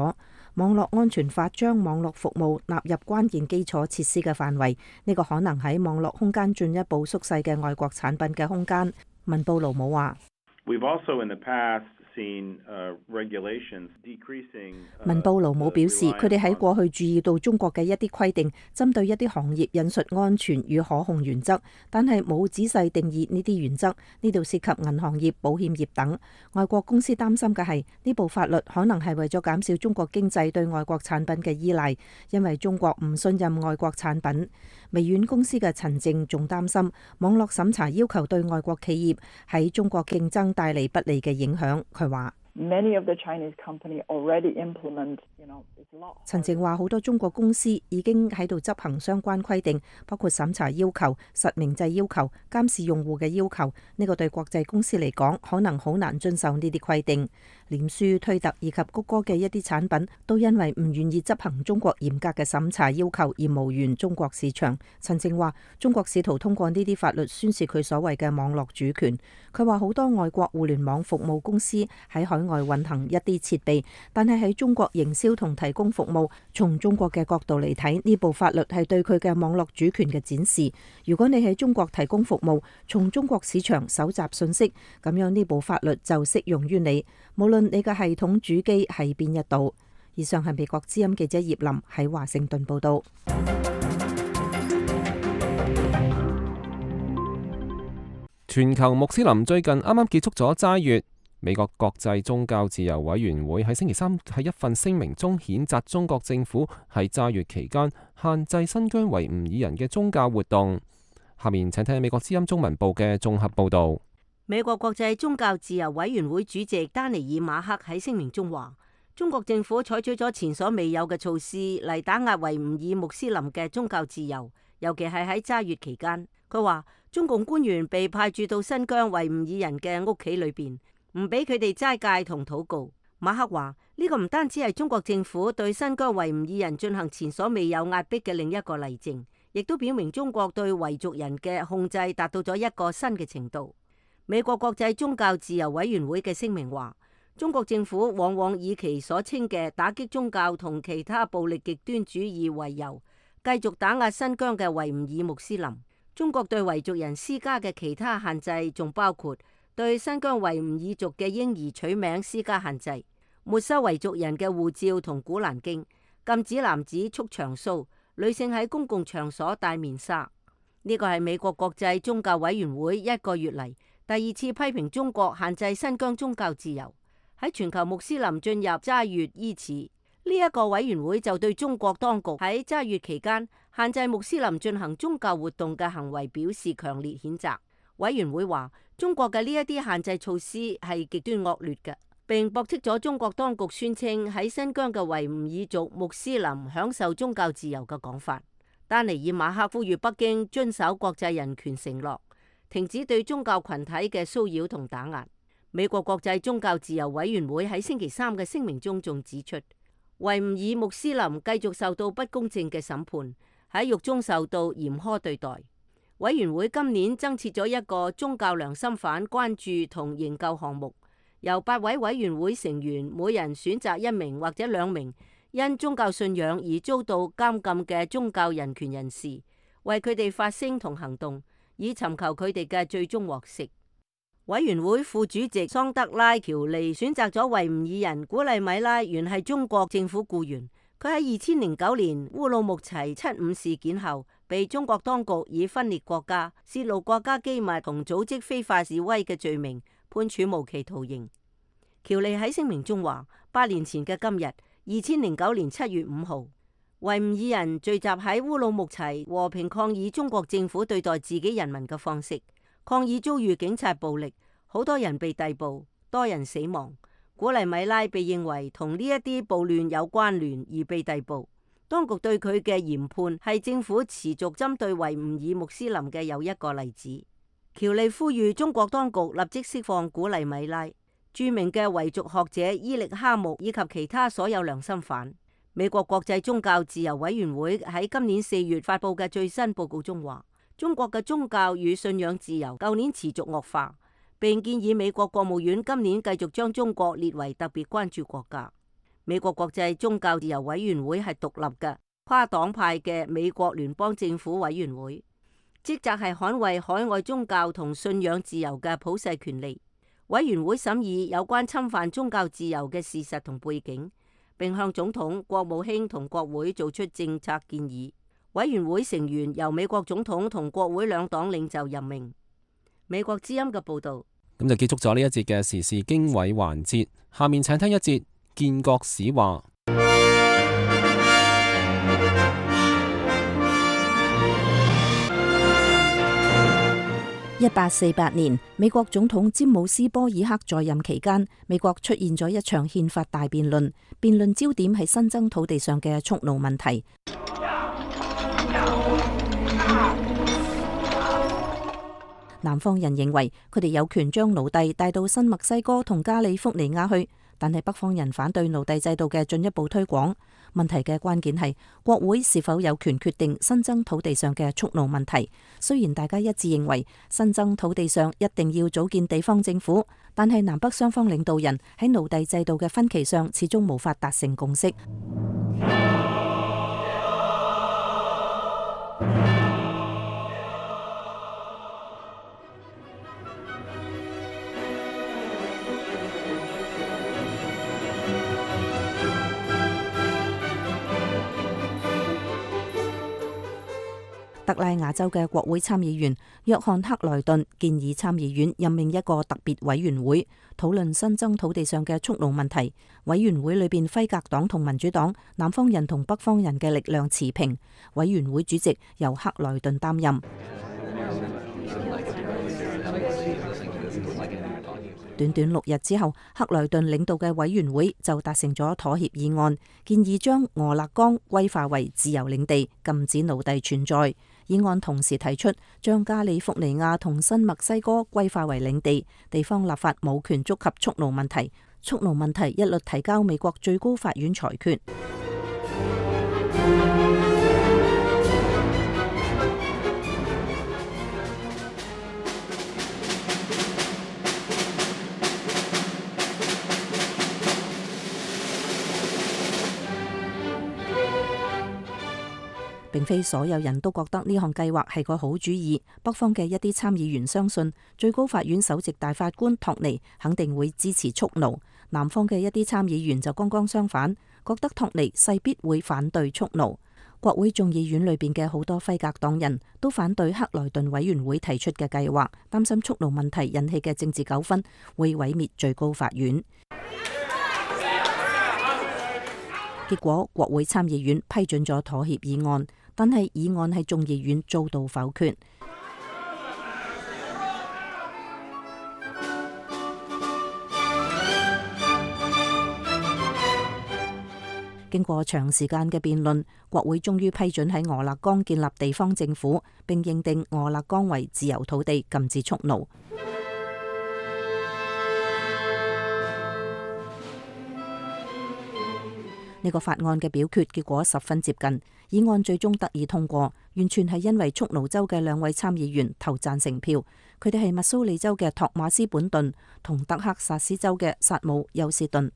網絡安全法將網絡服務納入關鍵基礎設施嘅範圍，呢個可能喺網絡空間進一步縮細嘅外國產品嘅空間。文布勞姆話：文布勞姆表示，佢哋喺過去注意到中國嘅一啲規定，針對一啲行業引述安全與可控原則，但係冇仔細定義呢啲原則。呢度涉及銀行業、保險業等。外國公司擔心嘅係呢部法律可能係為咗減少中國經濟對外國產品嘅依賴，因為中國唔信任外國產品。微軟公司嘅陳靜仲擔心網絡審查要求對外國企業喺中國競爭帶嚟不利嘅影響。佢話：陳靜話好多中國公司已經喺度執行相關規定，包括審查要求、實名制要求、監視用戶嘅要求。呢個對國際公司嚟講，可能好難遵守呢啲規定。臉書、推特以及谷歌嘅一啲產品都因為唔願意執行中國嚴格嘅審查要求而無緣中國市場。陳靜話：中國試圖通過呢啲法律宣示佢所謂嘅網絡主權。佢話好多外國互聯網服務公司喺海外運行一啲設備，但係喺中國營銷同提供服務。從中國嘅角度嚟睇，呢部法律係對佢嘅網絡主權嘅展示。如果你喺中國提供服務，從中國市場搜集信息，咁樣呢部法律就適用於你，無論你嘅系統主機係邊一度。以上係美國之音記者葉林喺華盛頓報道。全球穆斯林最近啱啱結束咗齋月。美國國際宗教自由委員會喺星期三喺一份聲明中譴責中國政府喺齋月期間限制新疆維吾爾人嘅宗教活動。下面請聽美國之音中文部嘅綜合報導。美國國際宗教自由委員會主席丹尼爾馬克喺聲明中話，中國政府採取咗前所未有嘅措施嚟打壓維吾爾穆斯林嘅宗教自由，尤其係喺齋月期間。佢話中共官員被派駐到新疆維吾爾人嘅屋企裏邊，唔俾佢哋齋戒同禱告。馬克話呢個唔單止係中國政府對新疆維吾爾人進行前所未有壓迫嘅另一個例證，亦都表明中國對維族人嘅控制達到咗一個新嘅程度。美國國際宗教自由委員會嘅聲明話，中國政府往往以其所稱嘅打擊宗教同其他暴力極端主義為由，繼續打壓新疆嘅維吾爾穆斯林。中國對維族人施加嘅其他限制仲包括對新疆維吾爾族嘅嬰兒取名施加限制，沒收維族人嘅護照同古蘭經，禁止男子束長鬚，女性喺公共場所戴面紗。呢個係美國國際宗教委員會一個月嚟第二次批評中國限制新疆宗教自由。喺全球穆斯林進入齋月伊始，呢、這、一個委員會就對中國當局喺齋月期間限制穆斯林進行宗教活動嘅行為表示強烈譴責。委員會話，中國嘅呢一啲限制措施係極端惡劣嘅，並駁斥咗中國當局宣稱喺新疆嘅維吾爾族穆斯林享受宗教自由嘅講法。丹尼爾馬克呼籲北京遵守國際人權承諾，停止對宗教群體嘅騷擾同打壓。美國國際宗教自由委員會喺星期三嘅聲明中仲指出，維吾爾穆斯林繼續受到不公正嘅審判，喺獄中受到嚴苛對待。委員會今年增設咗一個宗教良心犯關注同營救項目，由八位委員會成員每人選擇一名或者兩名因宗教信仰而遭到監禁嘅宗教人權人士，為佢哋發聲同行動，以尋求佢哋嘅最終獲釋。委員會副主席桑德拉喬利選擇咗維吾爾人古麗米拉，原係中國政府僱員。佢喺二千零九年烏魯木齊七五事件後，被中國當局以分裂國家、泄露國家機密同組織非法示威嘅罪名判處無期徒刑。喬利喺聲明中話：八年前嘅今日，二千零九年七月五號，維吾爾人聚集喺烏魯木齊和平抗議中國政府對待自己人民嘅方式。抗議遭遇警察暴力，好多人被逮捕，多人死亡。古麗米拉被認為同呢一啲暴亂有關聯而被逮捕。當局對佢嘅嚴判係政府持續針對維吾爾穆斯林嘅又一個例子。喬利呼籲中國當局立即釋放古麗米拉、著名嘅維族學者伊力哈木以及其他所有良心犯。美國國際宗教自由委員會喺今年四月發布嘅最新報告中話，中國嘅宗教與信仰自由舊年持續惡化，並建議美國國務院今年繼續將中國列為特別關注國家。美國國際宗教自由委員會係獨立嘅跨黨派嘅美國聯邦政府委員會，職責係捍衛海外宗教同信仰自由嘅普世權利。委員會審議有關侵犯宗教自由嘅事實同背景，並向總統、國務卿同國會做出政策建議。委員會成員由美國總統同國會兩黨領袖任命。美國之音嘅報道。咁就結束咗呢一節嘅時事經緯環節，下面請聽一節建國史話。一八四八年，美國總統詹姆斯波爾克在任期間，美國出現咗一場憲法大辯論，辯論焦點係新增土地上嘅蓄奴問題。南方人認為佢哋有權將奴隸帶到新墨西哥同加利福尼亞去，但係北方人反對奴隸制度嘅進一步推廣。問題嘅關鍵係國會是否有權決定新增土地上嘅蓄奴問題。雖然大家一致認為新增土地上一定要組建地方政府，但係南北雙方領導人喺奴隸制度嘅分歧上始終無法達成共識。特拉亞州嘅國會參議員約翰克萊頓建議參議院任命一個特別委員會，討論新增土地上嘅蓄奴問題。委員會裏邊輝格黨同民主黨、南方人同北方人嘅力量持平。委員會主席由克萊頓擔任。短短六日之後，克萊頓領導嘅委員會就達成咗妥協議案，建議將俄勒岡歸化為自由領地，禁止奴隸存在。議案同時提出將加利福尼亞同新墨西哥歸化為領地，地方立法冇權觸及蓄奴問題。蓄奴問題一律提交美國最高法院裁決。並非所有人都覺得呢項計劃係個好主意。北方嘅一啲參議員相信最高法院首席大法官托尼肯定會支持蓄奴，南方嘅一啲參議員就剛剛相反，覺得托尼勢必會反對蓄奴。國會眾議院裏邊嘅好多輝格黨人都反對克萊頓委員會提出嘅計劃，擔心蓄奴問題引起嘅政治糾紛會毀滅最高法院。結果國會參議院批准咗妥協議案，但係議案喺眾議院遭到否決。經過長時間嘅辯論，國會終於批准喺俄勒岡建立地方政府，並認定俄勒岡為自由土地，禁止蓄奴。呢個法案嘅表決結果十分接近，議案最終得以通過，完全係因為蓄奴州嘅兩位參議員投贊成票，佢哋係密蘇里州嘅托馬斯本頓同德克薩斯州嘅薩姆休斯頓。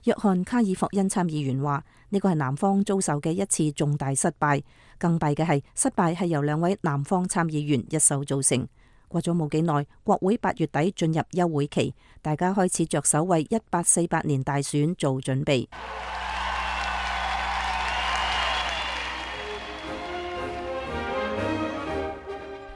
約翰卡爾霍恩參議員話：呢個係南方遭受嘅一次重大失敗，更弊嘅係失敗係由兩位南方參議員一手造成。過咗冇幾耐，國會八月底進入休會期，大家開始着手為一八四八年大選做準備。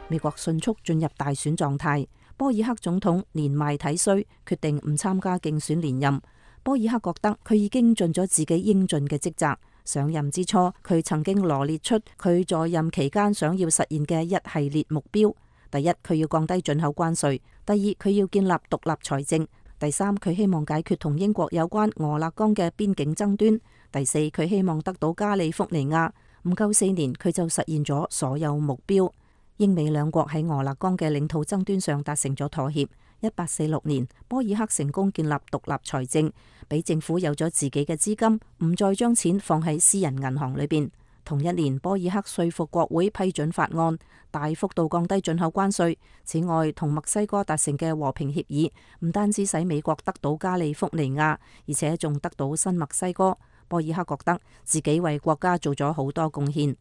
美國迅速進入大選狀態，波爾克總統年邁體衰，決定唔參加競選連任。波爾克覺得佢已經盡咗自己應盡嘅職責。上任之初，佢曾經羅列出佢在任期間想要實現嘅一系列目標。第一，佢要降低進口關稅；第二，佢要建立獨立財政；第三，佢希望解決同英國有關俄勒岡嘅邊境爭端；第四，佢希望得到加利福尼亞。唔夠四年，佢就實現咗所有目標。英美兩國喺俄勒岡嘅領土爭端上達成咗妥協。一八四六年，波爾克成功建立獨立財政，俾政府有咗自己嘅資金，唔再將錢放喺私人銀行裏邊。同一年，波爾克說服國會批准法案，大幅度降低進口關稅。此外，同墨西哥達成嘅和平協議，唔單止使美國得到加利福尼亞，而且仲得到新墨西哥。波爾克覺得自己為國家做咗好多貢獻。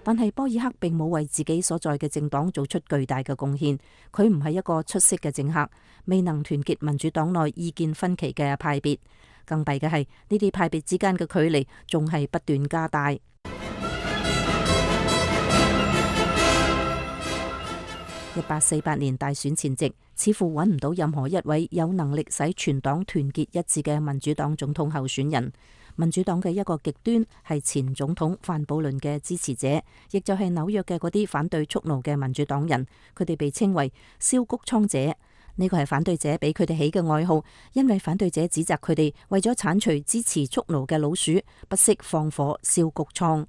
但係波爾克並冇為自己所在嘅政黨做出巨大嘅貢獻，佢唔係一個出色嘅政客，未能團結民主黨內意見分歧嘅派別。更弊嘅係呢啲派別之間嘅距離仲係不斷加大。一八四八年大選前夕，似乎揾唔到任何一位有能力使全黨團結一致嘅民主黨總統候選人。民主黨嘅一個極端係前總統范布倫嘅支持者，亦就係紐約嘅嗰啲反對蓄奴嘅民主黨人，佢哋被稱為燒谷倉者。呢個係反對者俾佢哋起嘅外號，因為反對者指責佢哋為咗鏟除支持蓄奴嘅老鼠，不惜放火燒谷倉。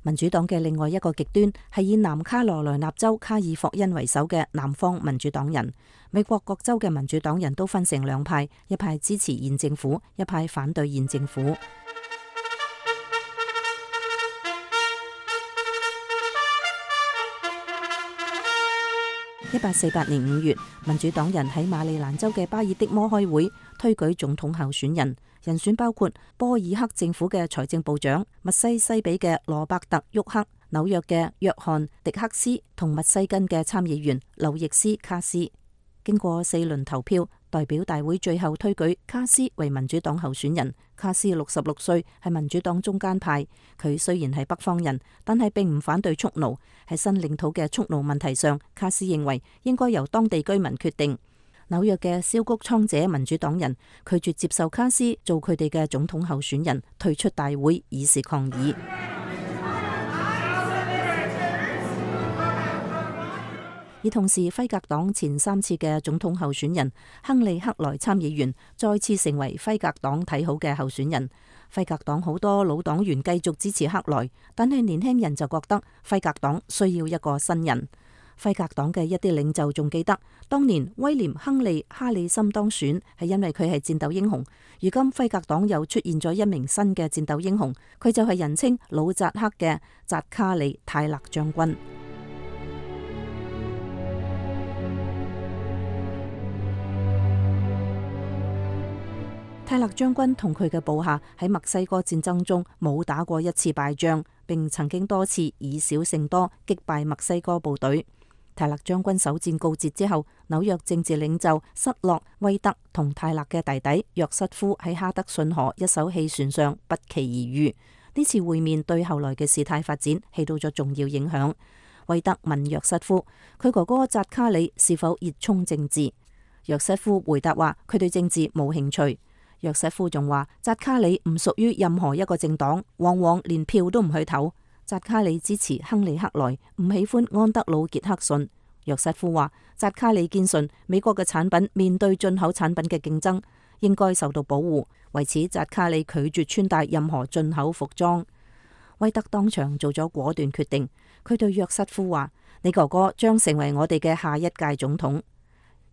民主黨嘅另外一個極端係以南卡羅來納州卡爾霍恩為首嘅南方民主黨人。美國各州嘅民主黨人都分成兩派，一派支持現政府，一派反對現政府。一八四八年五月，民主黨人喺馬里蘭州嘅巴爾的摩開會，推舉總統候選人，人選包括波爾克政府嘅財政部長密西西比嘅羅伯特沃克、紐約嘅約翰迪克斯同密西根嘅參議員劉易斯卡斯。經過四輪投票，代表大會最後推舉卡斯為民主黨候選人。卡斯六十六歲，係民主黨中間派。佢雖然係北方人，但係並唔反對蓄奴。喺新領土嘅蓄奴問題上，卡斯認為應該由當地居民決定。紐約嘅燒谷倉者民主黨人拒絕接受卡斯做佢哋嘅總統候選人，退出大會以示抗議。而同時，輝格黨前三次嘅總統候選人亨利克萊參議員再次成為輝格黨睇好嘅候選人。輝格黨好多老黨員繼續支持克萊，但係年輕人就覺得輝格黨需要一個新人。輝格黨嘅一啲領袖仲記得，當年威廉·亨利·哈里森當選係因為佢係戰鬥英雄。如今輝格黨又出現咗一名新嘅戰鬥英雄，佢就係人稱老扎克嘅扎卡里·泰勒將軍。泰勒將軍同佢嘅部下喺墨西哥戰爭中冇打過一次敗仗，並曾經多次以少勝多擊敗墨西哥部隊。泰勒將軍首戰告捷之後，紐約政治領袖塞洛威特同泰勒嘅弟弟約瑟夫喺哈德遜河一艘汽船上不期而遇。呢次會面對後來嘅事態發展起到咗重要影響。威特問約瑟夫，佢哥哥扎卡里是否熱衷政治？約瑟夫回答話，佢對政治冇興趣。約瑟夫仲話，扎卡里唔屬於任何一個政黨，往往連票都唔去投。扎卡里支持亨利克萊，唔喜歡安德魯傑克遜。約瑟夫話，扎卡里堅信美國嘅產品面對進口產品嘅競爭，應該受到保護。為此，扎卡里拒絕穿戴任何進口服裝。威特當場做咗果斷決定，佢對約瑟夫話，你哥哥將成為我哋嘅下一屆總統。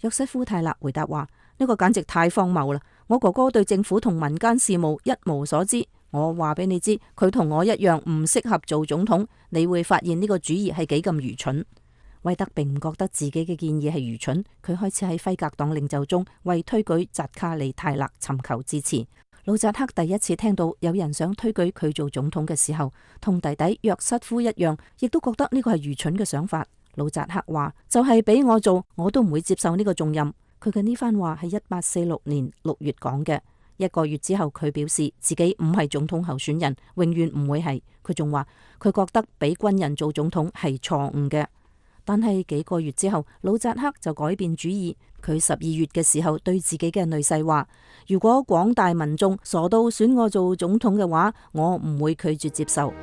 約瑟夫泰勒回答話，呢個簡直太荒謬啦！我哥哥對政府同民間事務一無所知。我話俾你知，佢同我一樣唔適合做總統。你會發現呢個主意係幾咁愚蠢。威特並唔覺得自己嘅建議係愚蠢，佢開始喺輝格黨領袖中為推舉扎卡里泰勒尋求支持。老扎克第一次聽到有人想推舉佢做總統嘅時候，同弟弟約瑟夫一樣，亦都覺得呢個係愚蠢嘅想法。老扎克話，就係俾我做，我都唔會接受呢個重任。佢嘅呢番話係一八四六年六月講嘅。一個月之後，佢表示自己唔係總統候選人，永遠唔會係。佢仲話佢覺得俾軍人做總統係錯誤嘅。但係幾個月之後，老扎克就改變主意。佢十二月嘅時候對自己嘅女婿話，如果廣大民眾傻到選我做總統嘅話，我唔會拒絕接受。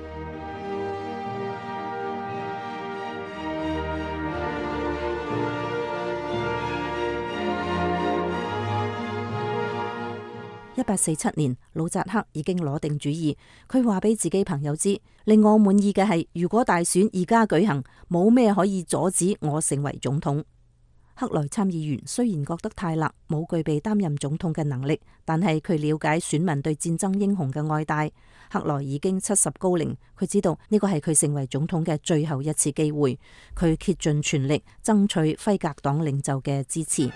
一八四七年，老扎克已經攞定主意。佢話俾自己朋友知，令我滿意嘅係，如果大選而家舉行，冇咩可以阻止我成為總統。克萊參議員雖然覺得泰勒冇具備擔任總統嘅能力，但係佢了解選民對戰爭英雄嘅愛戴。克萊已經七十高齡，佢知道呢個係佢成為總統嘅最後一次機會。佢竭盡全力爭取輝格黨領袖嘅支持。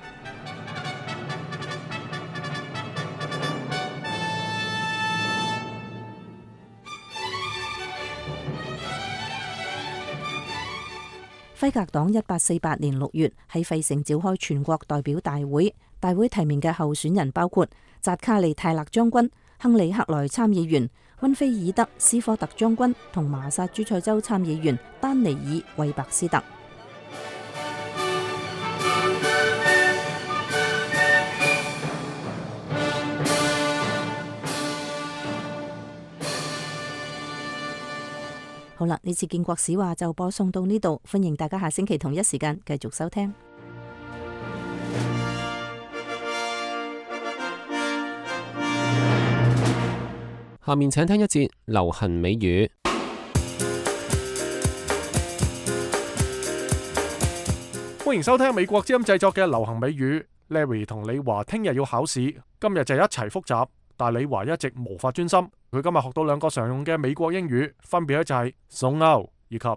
輝格黨一八四八年六月喺費城召開全國代表大會，大會提名嘅候選人包括扎卡利泰勒將軍、亨利克萊參議員、溫菲爾德斯科特將軍同麻薩諸塞州參議員丹尼爾韋伯斯特。好啦，呢次建國史話就播送到呢度，歡迎大家下星期同一時間繼續收聽。下面請聽一節流行美語。歡迎收聽美國之音製作嘅流行美語。Larry 同李華聽日要考試，今日就一齊複習，但李華一直無法專心。佢今日學到兩個常用嘅美國英語，分別咧就係 zone out 以及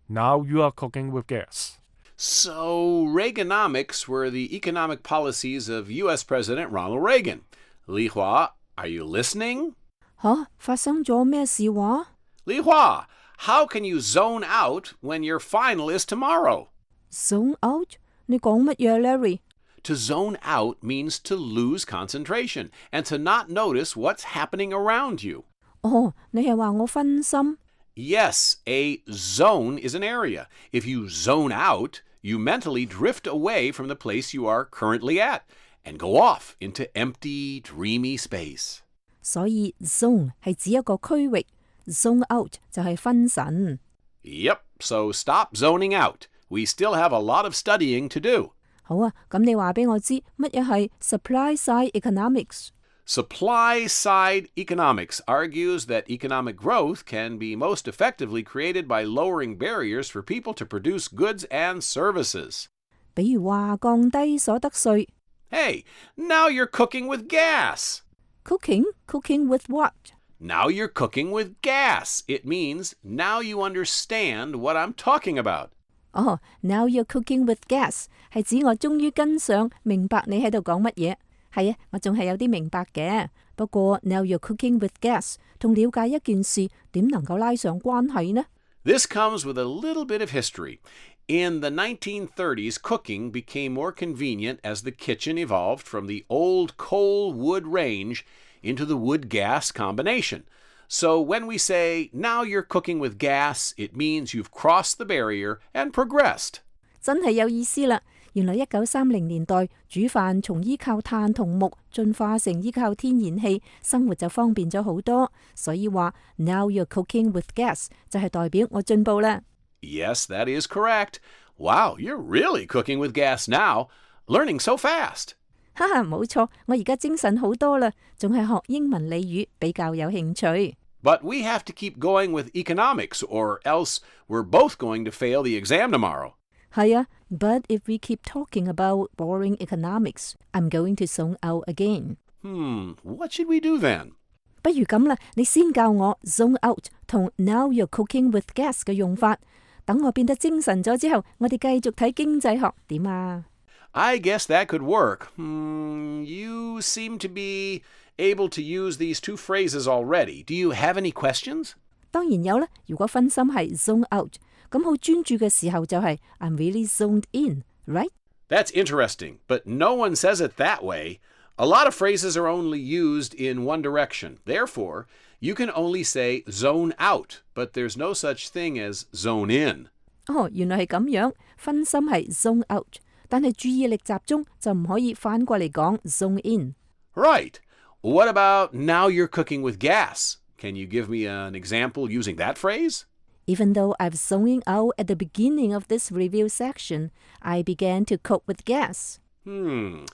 Now you are cooking with gas。 So Reaganomics were the economic policies of U S President Ronald Reagan. 李華 are you listening? 吓，發生咗咩事話？李華 how can you zone out when your final is tomorrow? Zone out？ 你講乜嘢 Larry？To zone out means to lose concentration and to not notice what's happening around you. 哦，你係話我分心？ Yes, a zone is an area. If you zone out, you mentally drift away from the place you are currently at and go off into empty, dreamy space. 所以 zone 係指一個區域，zone out 就係分神。Yep, so stop zoning out. We still have a lot of studying to do. 好啊，咁你話俾我知乜嘢係 supply side economics？ Supply side economics argues that economic growth can be most effectively created by lowering barriers for people to produce goods and services. 比如話降低所得稅。Hey, now you're cooking with gas. Cooking? Cooking with what? Now you're cooking with gas. It means now you understand what I'm talking about. 哦、oh, now you're cooking with gas 係指我終於跟上明白你喺度講乜嘢。係啊，我仲係有啲明白嘅。不過 now you're cooking with gas 同了解一件事點能夠拉上關係呢？ This comes with a little bit of history. In the nineteen thirties, cooking became more convenient as the kitchen evolved from the old coal-wood range into the wood-gas combination. So when we say, now you're cooking with gas, it means you've crossed the barrier and progressed. 真係有意思啦！原來一九三零年代煮飯從依靠炭同木進化成依靠天然氣，生活就方便咗好多。所以話 now you're cooking with gas 就係代表我進步啦。Yes, that is correct. Wow, you're really cooking with gas now. Learning so fast. 哈哈，冇錯，我而家精神好多啦，仲係學英文俚語比較有興趣。But we have to keep going with economics, or else we're both going to fail the exam tomorrow. 係啊 ，But if we keep talking about boring economics, I'm going to zone out again. Hmm, what should we do then? 不如咁啦，你先教我 zone out 同 now you're cooking with gas 嘅用法。等我變得精神咗之後，我哋繼續睇經濟學點啊？ I guess that could work. Hmm, you seem to be able to use these two phrases already. Do you have any questions? 當然有啦。如果分心係 zone out，咁好專注嘅時候就係 I'm really zoned in, right? That's interesting, but no one says it that way. A lot of phrases are only used in one direction. Therefore, you can only say zone out, but there's no such thing as zone in. 哦，原來係咁樣，分心係 zone out，但係注意力集中就唔可以反過嚟講 zone in。 Right. What about now you're cooking with gas? Can you give me an example using that phrase? Even though I've zoning out at the beginning of this review section, I began to cook with gas. Hmm.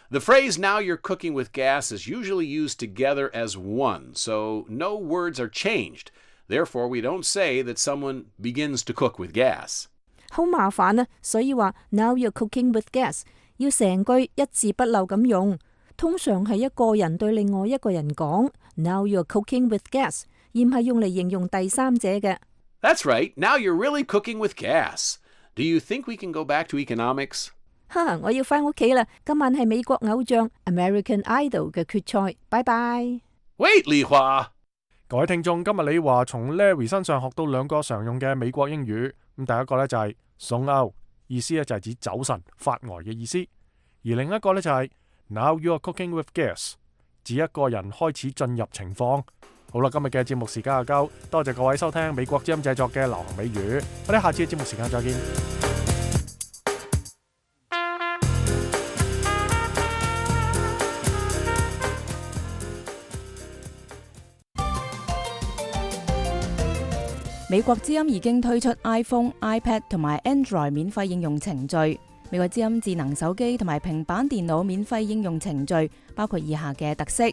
The phrase now you're cooking with gas is usually used together as one, so no words are changed. Therefore, we don't say that someone begins to cook with gas. 好麻煩啊，所以話 now you're cooking with gas 要成句一字不漏咁用。通常係一個人對另外一個人講 now you're cooking with gas， 而唔係用嚟形容第三者嘅。That's right. Now you're really cooking with gas. Do you think we can go back to economics? 哈，我要返屋企啦！今晚係美國偶像 American Idol 嘅決賽，拜拜。Wait, Li Hua！ 各位聽眾，今日李華從 Larry 身上學到兩個常用嘅美國英語。咁第一個咧就係 zone out， 意思咧就係指走神、發呆嘅意思；而另一個咧就係 now you are cooking with gas， 指一個人開始進入情況。好啦，今日嘅節目時間就夠，多謝各位收聽美國之音製作嘅流行美語，我哋下次嘅節目時間再見。美國之音已經推出 iPhone、iPad 同埋 Android 免費應用程序。美國之音智能手機同埋平板電腦免費應用程序包括以下嘅特色：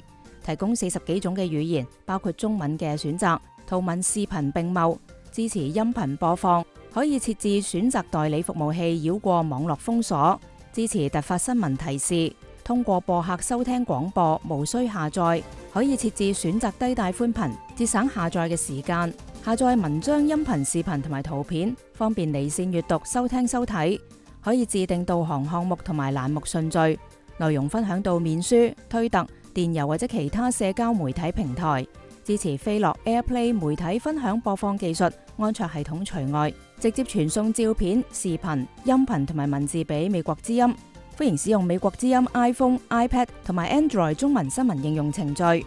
提供四十幾種嘅語言，包括中文嘅選擇，圖文視頻並茂，支持音頻播放，可以設置選擇代理服務器繞過網絡封鎖，支持突發新聞提示，通過播客收聽廣播，無需下載，可以設置選擇低帶寬頻，節省下載嘅時間。下載文章、音頻、視頻同埋圖片，方便離線閱讀、收聽、收睇。可以自定導航項目同埋欄目順序，內容分享到面書、推特、電郵或者其他社交媒體平台。支持飛樂 AirPlay 媒體分享播放技術，安卓系統除外。直接傳送照片、視頻、音頻同埋文字俾美國之音。歡迎使用美國之音 iPhone、iPad 同埋 Android 中文新聞應用程序。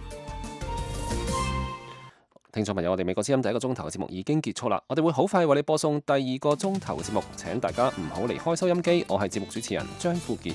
聽眾朋友，我哋美國之音第一個鐘頭嘅節目已經結束啦，我哋會好快為你播送第二個鐘頭嘅節目，請大家唔好離開收音機。我係節目主持人張富傑。